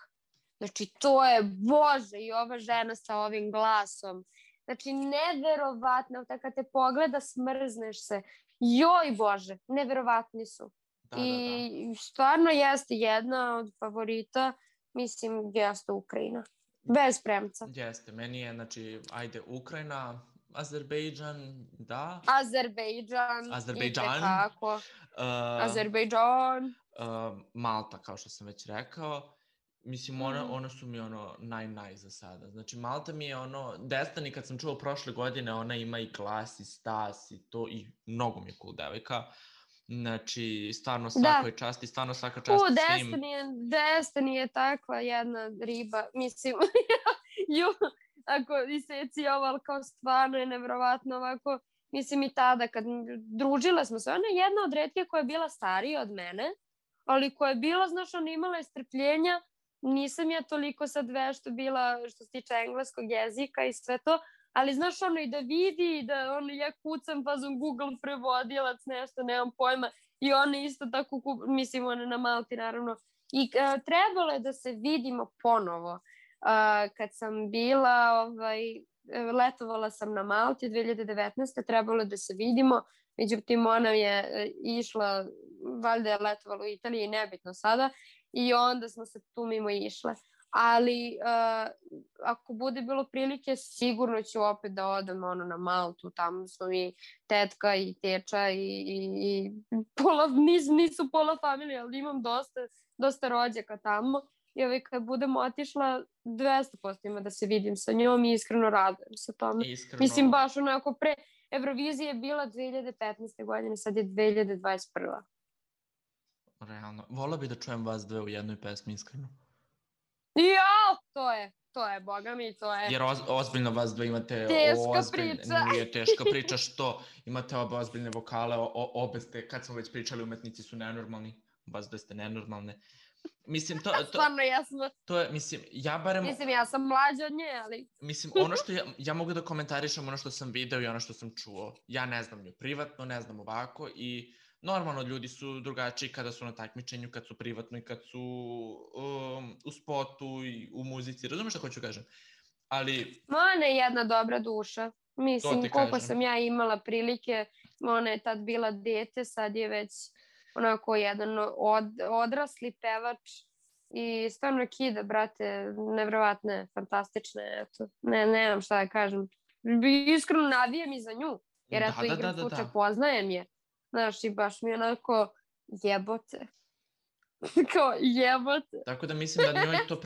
Znači, to je, Bože, i ova žena sa ovim glasom. Znači, neverovatno, kad te pogleda, smrzneš se. Joj, Bože, neverovatni su. I stvarno jeste jedna od favorita, mislim, jeste Ukrajina. Bez premca. Jeste, meni je, znači, ajde, Ukrajina, Azerbejdžan, da. Azerbejdžan. Malta, kao što sam već rekao. Mislim, ona su mi naj za sada. Znači, Malta mi je Destiny, kad sam čuo prošle godine, ona ima i glas i stas i to, i mnogo mi je cool devojka. Znači, stvarno svakoj časti, stvarno svaka čast svim. Destiny je takva jedna riba, mislim, ako iseci ovo, ali kao stvarno je nevjerovatno ovako, mislim i tada kad družila smo se, ona je jedna od retkih koja je bila starija od mene, ali koja je bila, znaš, ona imala je strpljenja, nisam ja toliko sad vešto bila što se tiče engleskog jezika i sve to, ali znaš i da vidi, i da ja kucam fazom Google prevodilac, nešto, nemam pojma, i ona isto tako, mislim, ona na Malti naravno, i trebalo je da se vidimo ponovo. Kad sam bila, letovala sam na Malti 2019. Trebalo je da se vidimo, međutim ona je išla, valjda je letovala u Italiji, nebitno sada, i onda smo se tu mimo išle. Ali ako bude bilo prilike, sigurno ću opet da odem na Maltu, tamo smo mi tetka i teča i nisu pola familije, ali imam dosta rođaka tamo. i kad budem otišla 200% ima da se vidim sa njom i iskreno radujem se tome. Iskreno... Mislim, baš onako pre Eurovizije je bila 2015. godine, sad je 2021. Realno. Volao bi da čujem vas dve u jednoj pesmi, iskreno. Jao, to je, boga mi, to je... Jer ozbiljno vas dve imate... Teška priča. Nije teška priča što imate obe ozbiljne vokale, obe ste, kad smo već pričali, umetnici su nenormalni, vas dve ste nenormalne. Mislim, Stvarno jasno. To je, mislim, ja barem... Mislim, ja sam mlađa od nje, ali... Mislim, ono što ja mogu da komentarišem, ono što sam video i ono što sam čuo. Ja ne znam nju privatno, ne znam ovako i normalno ljudi su drugačiji kada su na takmičenju, kad su privatno i kad su u spotu i u muzici. Razumeš što hoću kažem? Ali... Ona je jedna dobra duša. Mislim, koliko sam ja imala prilike, ona je tad bila dete, sad je već onako jedan odrasli pevač i stvarno kida, brate, nevjerovatne, fantastične, eto, nemam šta da kažem. Iskreno navijam i za nju, jer eto igram slučaj, poznajem je. Znaš, i baš mi onako jebote. Kao jebote. Tako da mislim da njoj to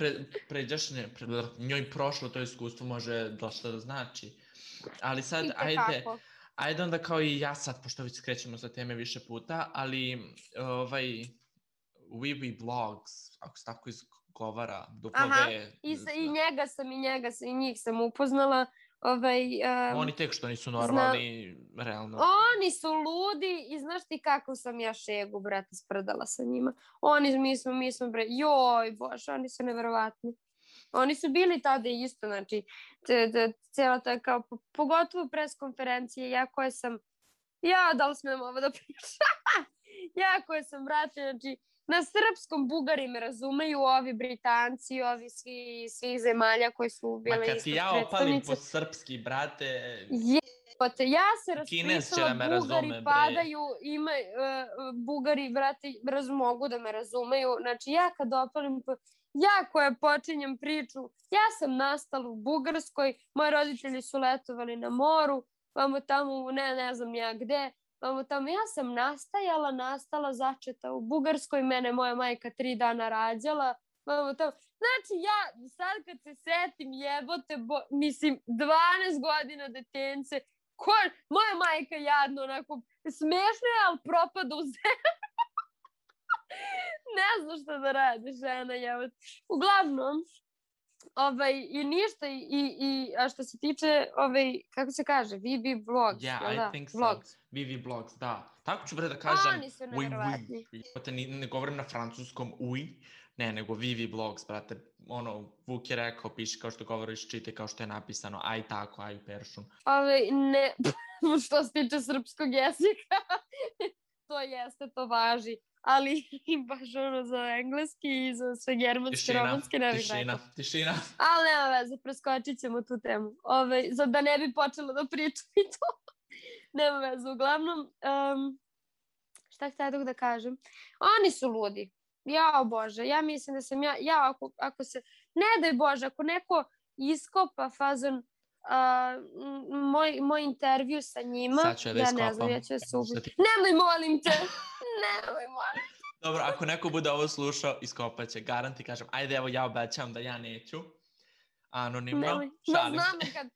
njoj prošlo to iskustvo može dosta da znači. Ali sad, ajde onda kao i ja sad, pošto već skrećemo sa teme više puta, ali Vivi Blogs, ako se tako izgovara, i njih sam upoznala. Oni tek što nisu normalni, realno. Oni su ludi i znaš ti kako sam ja šegu, brate, sprdala sa njima. Mi smo, bre, joj, bože, oni su neverovatni. Oni su bili tada isto, znači, cijela ta kao, pogotovo pres konferencije, da li smijem ovo da pričam? Ja koja sam, brate, znači, na srpskom Bugari me razumeju, ovi Britanci, ovi svih zemalja koji su bile isto predstavnice. Ma kad ti ja opalim po srpski, brate... Jebote, ja se raspisala, Bugari padaju, Bugari, brate, mogu da me razumeju. Znači, ja kad opalim ja koja počinjem priču, ja sam nastala u Bugarskoj, moji roditelji su letovali na moru, vamo tamo, ne znam ja gde, ja sam nastala začeta u Bugarskoj, mene moja majka 3 dana rađala, znači ja sad kad se setim jebote, mislim 12 godina detence, moja majka jadno onako, smešno je, ali propada u zemlju. Ne znam šta da radi žena, jebote. Uglavnom, i ništa, a što se tiče, kako se kaže, Vivi Blogs, I think so. Vivi Blogs, da. Tako ću da kažem. Oni su nevjerovatni. Ne govorim na francuskom nego Vivi Blogs, brate. Vuk je rekao, piši kao što govoriš, čitaj kao što je napisano, aj tako, aj peršun. Ne, što se tiče srpskog jezika, to jeste, to važi. Ali baš za engleski i za sve germanske, romanske ne bih rekao. Tišina. Ali nema veze, preskočit ćemo tu temu. Da ne bi počela da pričam i to. Nema veze, uglavnom. Šta htjela da kažem? Oni su ludi. Jao Bože, ja mislim da sam ako se, ne daj Bože, ako neko iskopa fazon moj intervju sa njima, ja ne znam, ja ću se ubiti. Nemoj, molim te. Dobro, ako neko bude ovo slušao, iskopat će, garant ti kažem, ajde evo ja obećam da ja neću. Anonimno, šalim se. Znam kad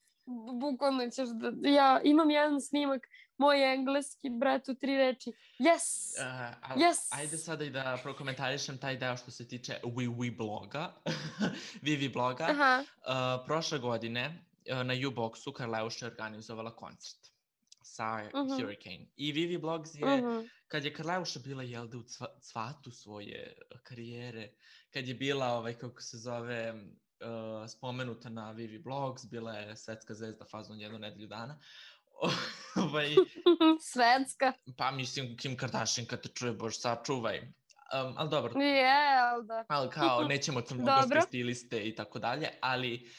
bukvalno ćeš da, ja imam jedan snimak, moj engleski, brat, u 3 reči. Yes! Ajde sada i da prokomentarišem taj deo što se tiče Vivi bloga. Vivi bloga. Prošle godine na U-Boxu Karleuša je organizovala koncert sa Hurricane. I Vivi Blogs je, kad je Karleuša bila u cvatu svoje karijere, kad je bila, kako se zove, spomenuta na Vivi Blogs, bila je svetska zvezda fazon 1 nedelju dana. Svetska. Pa mislim, Kim Kardashian kad te čuje, bož sačuvaj. Ali dobro. Da. Ali kao, nećemo crnogorske stiliste i tako dalje, ali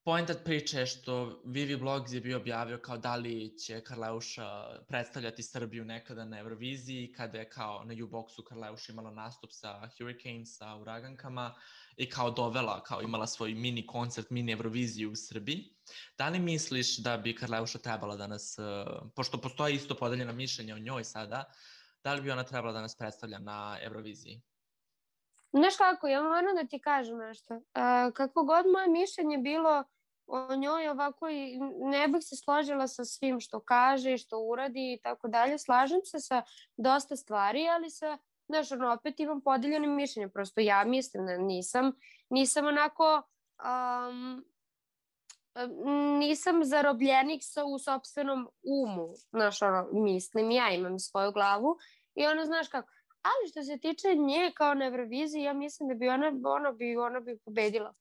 pointa priče je što Vivi Blogs je bio objavio kao da li će Karleuša predstavljati Srbiju nekada na Euroviziji, kada je kao na U-Boxu Karleuša imala nastup sa Hurricane, sa Uragankama i kao dovela, kao imala svoj mini koncert, mini Euroviziju u Srbiji. Da li misliš da bi Karleuša trebala da nas, pošto postoji isto podeljeno mišljenje o njoj sada, da li bi ona trebala da nas predstavlja na Euroviziji? Znaš kako, ja moram da ti kažem nešto. Kako god moje mišljenje bilo o njoj ovako i ne bih se složila sa svim što kaže i što uradi i tako dalje. Slažem se sa dosta stvari, ali znaš, opet imam podeljene mišljenje. Prosto ja mislim da nisam onako, nisam zarobljenik u sopstvenom umu. Znaš, mislim, ja imam svoju glavu i znaš kako. Ali što se tiče nje kao na Euroviziji, ja mislim da bi ona bi pobedila.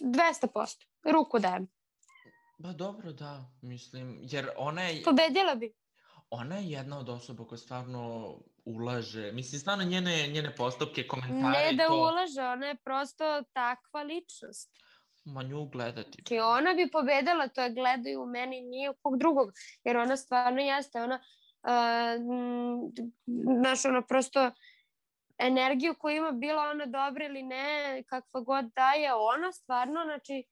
200%. Ruku dajem. Ba dobro, da, mislim, jer ona je... Pobedila bi. Ona je jedna od osoba koja stvarno ulaže, mislim, stvarno njene postupke, komentare ne i da to... ulaže, ona je prosto takva ličnost. Ma nju gledati. Znači, ona bi pobedila, to je gledaju u meni, nije u kog drugog, jer ona stvarno jeste, znaš, ona prosto energiju koju ima, bila ona dobra ili ne, kakva god daje, ona stvarno, znači,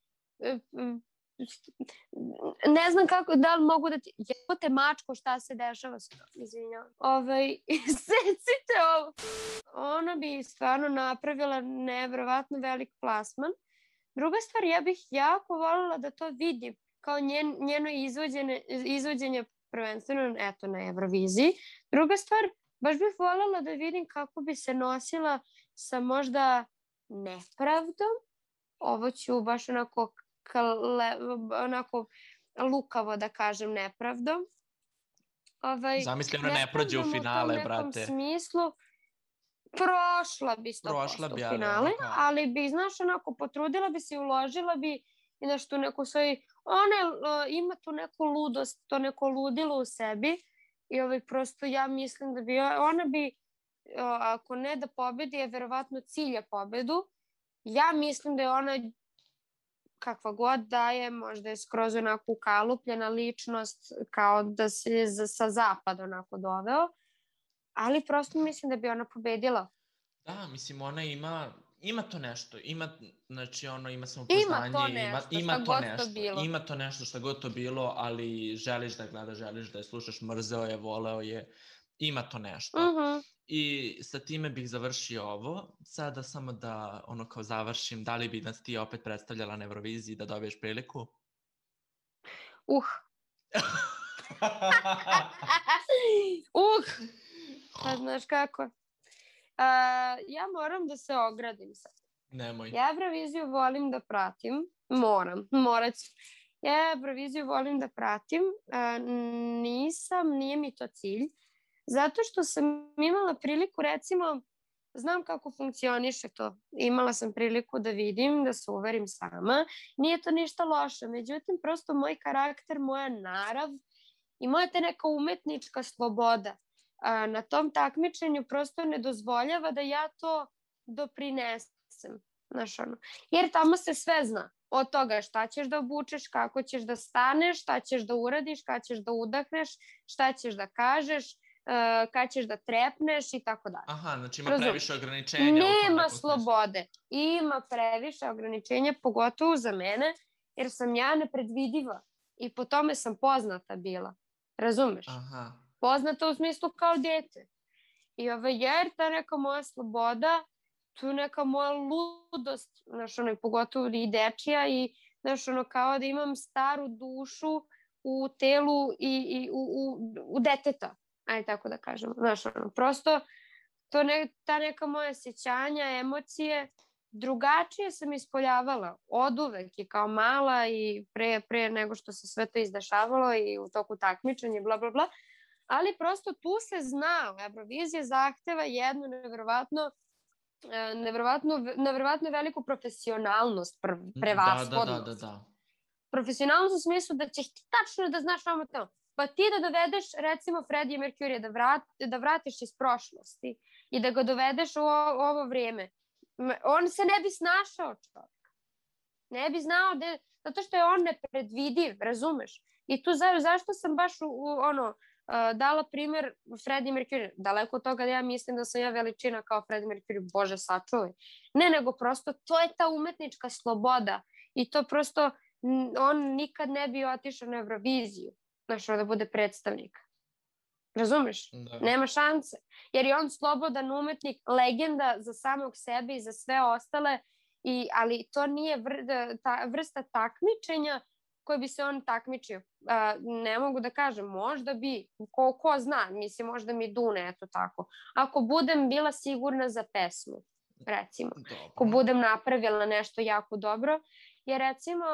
ne znam kako, da li mogu da ti... Jebote mačko, šta se dešava s tom, izvinjavam. Secite ovo. Ona bi stvarno napravila nevjerovatno velik plasman. Druga stvar, ja bih jako voljela da to vidim, kao njeno izvođenje prvenstveno, eto, na Euroviziji. Druga stvar, baš bih voljela da vidim kako bi se nosila sa možda nepravdom. Ovo ću baš onako lukavo da kažem nepravdom. Zamisli ona ne prođe u finale, brate. U tom smislu prošla bi 100% u finale, ali bi, znaš, onako potrudila bi se i uložila bi i nešto neku svoju, ona ima tu neku ludost, to neko ludilo u sebi i prosto ja mislim da bi ona bi, ako ne da pobedi, je verovatno cilja pobedu. Ja mislim da je ona kakva god da je, možda je skroz onako ukalupljena ličnost, kao da se sa zapada onako doveo, ali prosto mislim da bi ona pobedila. Da, mislim, ona ima to nešto, znači ima samopouzdanje, ima to nešto šta god to bilo, ali želiš da gledaš, želiš da je slušaš, mrzeo je, voleo je, ima to nešto. I sa time bih završio ovo. Sada samo da kao završim, da li bi nas ti opet predstavljala na Euroviziji da dobiješ priliku? Pa znaš kako? Ja moram da se ogradim sad. Nemoj. Ja Euroviziju volim da pratim. Morat ću. Ja Euroviziju volim da pratim. Nije mi to cilj. Zato što sam imala priliku, recimo, znam kako funkcioniše to. Imala sam priliku da vidim, da se uverim sama. Nije to ništa loše. Međutim, prosto moj karakter, moja narav i moja te neka umetnička sloboda na tom takmičenju prosto ne dozvoljava da ja to doprinesem. Znaš, jer tamo se sve zna. Od toga šta ćeš da obučeš, kako ćeš da staneš, šta ćeš da uradiš, kada ćeš da udahneš, šta ćeš da kažeš, kada ćeš da trepneš i tako dalje. Aha, znači ima previše ograničenja. Nema slobode. Ima previše ograničenja, pogotovo za mene, jer sam ja nepredvidiva i po tome sam poznata bila. Razumeš? Aha. Poznata u smislu kao dete. I jer ta neka moja sloboda, tu neka moja ludost, znaš, pogotovo i dečija i, znaš, kao da imam staru dušu u telu i u deteta. Ajde tako da kažem. Znaš, prosto ta neka moja sjećanja, emocije, drugačije sam ispoljavala od uvek i kao mala i pre nego što se sve to izdešavalo i u toku takmičenja, bla, bla, bla. Ali prosto tu se zna, Eurovizija zahteva jednu nevjerovatno veliku profesionalnost prevashodnost. Da. Profesionalnost u smislu da ćeš ti tačno da znaš vamo tamo. Pa ti da dovedeš, recimo, Freddie Mercury da vratiš iz prošlosti i da ga dovedeš u ovo vrijeme. On se ne bi snašao, čovjek. Ne bi znao zato što je on nepredvidiv, razumeš? I tu zašto sam baš dala primjer Freddie Mercury. Daleko od toga da ja mislim da sam ja veličina kao Freddie Mercury, Bože sačuvaj. Ne, nego prosto to je ta umetnička sloboda i to prosto on nikad ne bi otišao na Euroviziju, znaš, da bude predstavnik. Razumeš? Da. Nema šanse. Jer je on slobodan umetnik, legenda za samog sebe i za sve ostale, ali to nije ta vrsta takmičenja koje bi se on takmičio. Ne mogu da kažem, možda bi, ko zna, mislim, možda mi dune, eto tako. Ako budem bila sigurna za pesmu, recimo, ako budem napravila nešto jako dobro, jer recimo,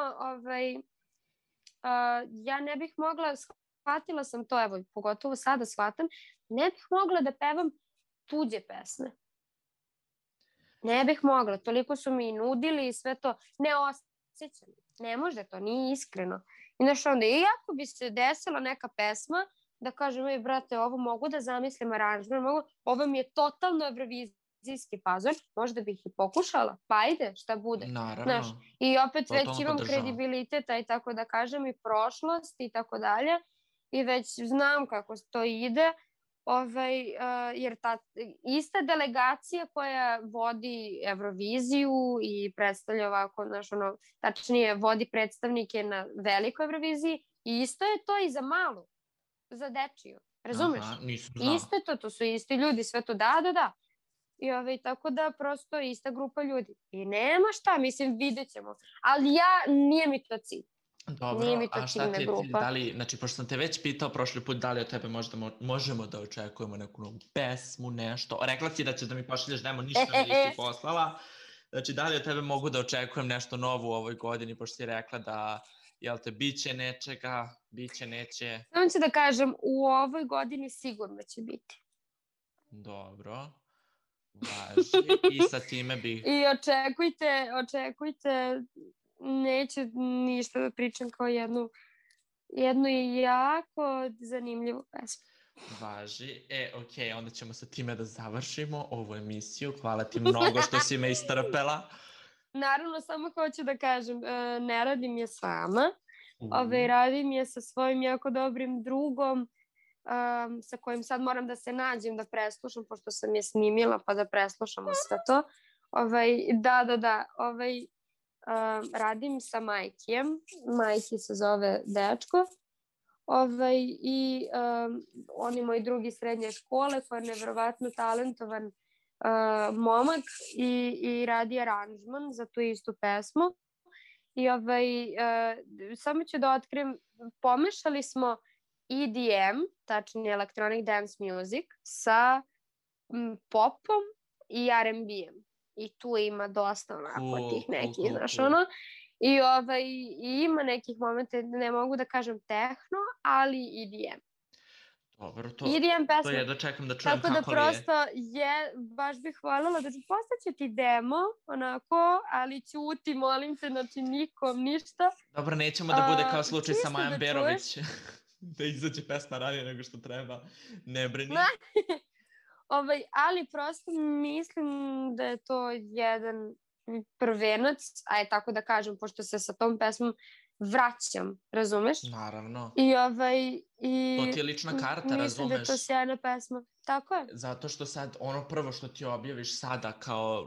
ja ne bih mogla, shvatila sam to, evo, pogotovo sada shvatam, ne bih mogla da pevam tuđe pesme. Ne bih mogla, toliko su mi nudili i sve to, ne osjećam. Ne može to, nije iskreno. I znaš onda, iako bi se desila neka pesma, da kažem, brate, ovo mogu da zamislim aranžman, ovo mi je totalno evrovizijski fazon, možda bih i pokušala, pa ajde, šta bude. Naravno. Znaš, i opet već imam kredibiliteta i tako da kažem, i prošlost i tako dalje, i već znam kako to ide, jer ta ista delegacija koja vodi Euroviziju i predstavlja ovako, znaš, tačnije vodi predstavnike na velikoj Euroviziji, i isto je to i za malu, za dečiju, razumeš? Aha, nisam znao. Isto je to su isti ljudi, sve to, da. I tako da prosto ista grupa ljudi. I nema šta, mislim, vidjet ćemo. Ali nije mi to cilj. Dobro, a šta ti je cilj? Znači, pošto sam te već pitao prošli put, da li od tebe možemo da očekujemo neku novu pesmu, nešto? Rekla si da ćeš da mi pošalješ demo, ništa mi nisi poslala. Znači, da li od tebe mogu da očekujem nešto novo u ovoj godini, pošto si rekla da, jel te, biće nečega, biće, neće? Samo ću da kažem, u ovoj godini sigurno će biti. Dobro, važi. I sa time bih... I očekujte, neću ništa da pričam kao jednu jako zanimljivu pesmu. Važi. Okej, onda ćemo sa time da završimo ovu emisiju. Hvala ti mnogo što si me istrpela. Naravno, samo hoću da kažem, ne radim je sama. Radim je sa svojim jako dobrim drugom, sa kojim sad moram da se nađem da preslušam, pošto sam je snimila, pa da preslušamo sve to. Da. Radim sa Majkijem. Majki se zove dečko. I on je moj drugi srednje škole, koji je nevjerovatno talentovan momak i radi aranžman za tu istu pesmu. I samo ću da otkrijem, pomešali smo EDM, tačnije Electronic Dance Music, sa popom i R&B-em. I tu ima dosta onako tih nekih, znaš ono. I ima nekih momenta, ne mogu da kažem tehno, ali EDM. Dobro, to je da čekam da čujem kako li je. Tako da prosto baš bih voljela da postaće ti demo, onako, ali ćuti, molim te, znači nikom, ništa. Dobro, nećemo da bude kao slučaj sa Majom Berović, da izađe pesma ranije nego što treba, ne brini. Ali prosto mislim da je to jedan prvenac, tako da kažem, pošto se sa tom pesmom vraćam, razumeš? Naravno. I to ti je lična karta, razumeš? Mislim da je to sjajna pesma. Tako je. Zato što sad, ono prvo što ti objaviš sada kao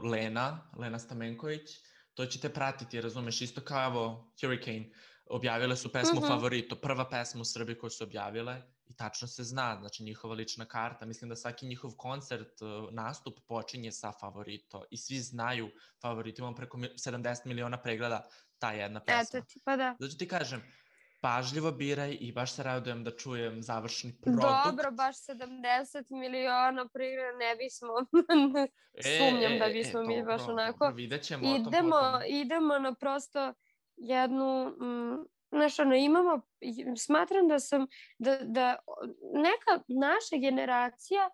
Lena Stamenković, to će te pratiti, razumeš? Isto kao, evo, Hurricane, objavile su pesmu Favorito, prva pesma u Srbiji koju su objavile, i tačno se zna, znači njihova lična karta. Mislim da svaki njihov koncert, nastup počinje sa Favorito i svi znaju Favorito, imamo preko 70 miliona pregleda ta jedna pesma. Eto ti, pa da. Znači ti kažem, pažljivo biraj i baš se radujem da čujem završni produkt. Dobro, baš 70 miliona pregleda ne bismo, sumnjam da bismo mi baš onako. Dobro, vidjet ćemo o tom potom. Idemo na prosto jednu... Znaš, smatram da neka naša generacija,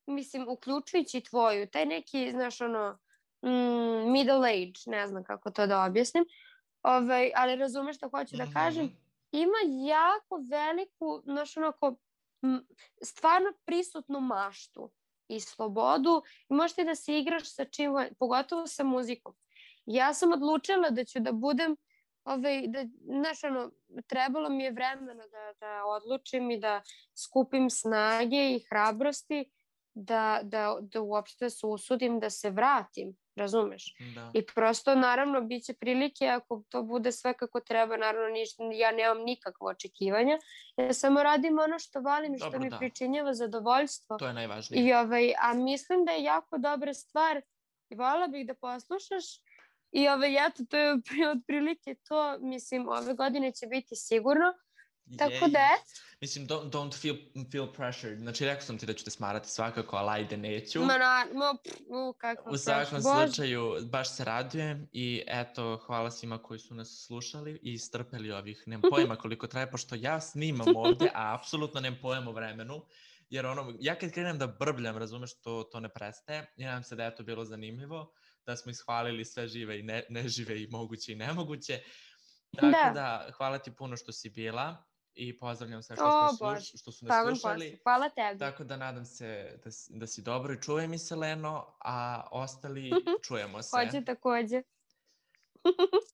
mislim, uključujući tvoju, taj neki, znaš, middle age, ne znam kako to da objasnim, ali razumeš što hoću da kažem, ima jako veliku, znaš, stvarno prisutnu maštu i slobodu i možeš ti da se igraš sa čim, pogotovo sa muzikom. Ja sam odlučila da ću da budem znaš, trebalo mi je vremena da odlučim i da skupim snage i hrabrosti da uopšte se usudim da se vratim razumeš? Da. I prosto, naravno, bit će prilike ako to bude sve kako treba, naravno, ja nemam nikakvo očekivanja, ja samo radim ono što volim i što mi pričinjava zadovoljstvo. To je najvažnije. A mislim da je jako dobra stvar i voljela bih da poslušaš i eto, to je otprilike to, mislim, ove godine će biti sigurno. Tako da mislim, don't feel pressured. Znači, rekao sam ti da ću te smarati svakako, ali ajde, neću. U svakom slučaju, baš se radujem i eto, hvala svima koji su nas slušali i strpeli ovih, nemam pojma koliko traje, pošto ja snimam ovde, a apsolutno nemam pojma o vremenu, jer ja kad krenem da brbljam, razumeš, to ne prestaje i nadam se da je to bilo zanimljivo, da smo ishvalili sve žive i nežive i moguće i nemoguće. Tako da, hvala ti puno što si bila. I pozdravljam sve što su nas slušali. Hvala tebi. Tako da nadam se da si dobro i čuvaj mi se, Leno, a ostali čujemo se. Hoće takođe.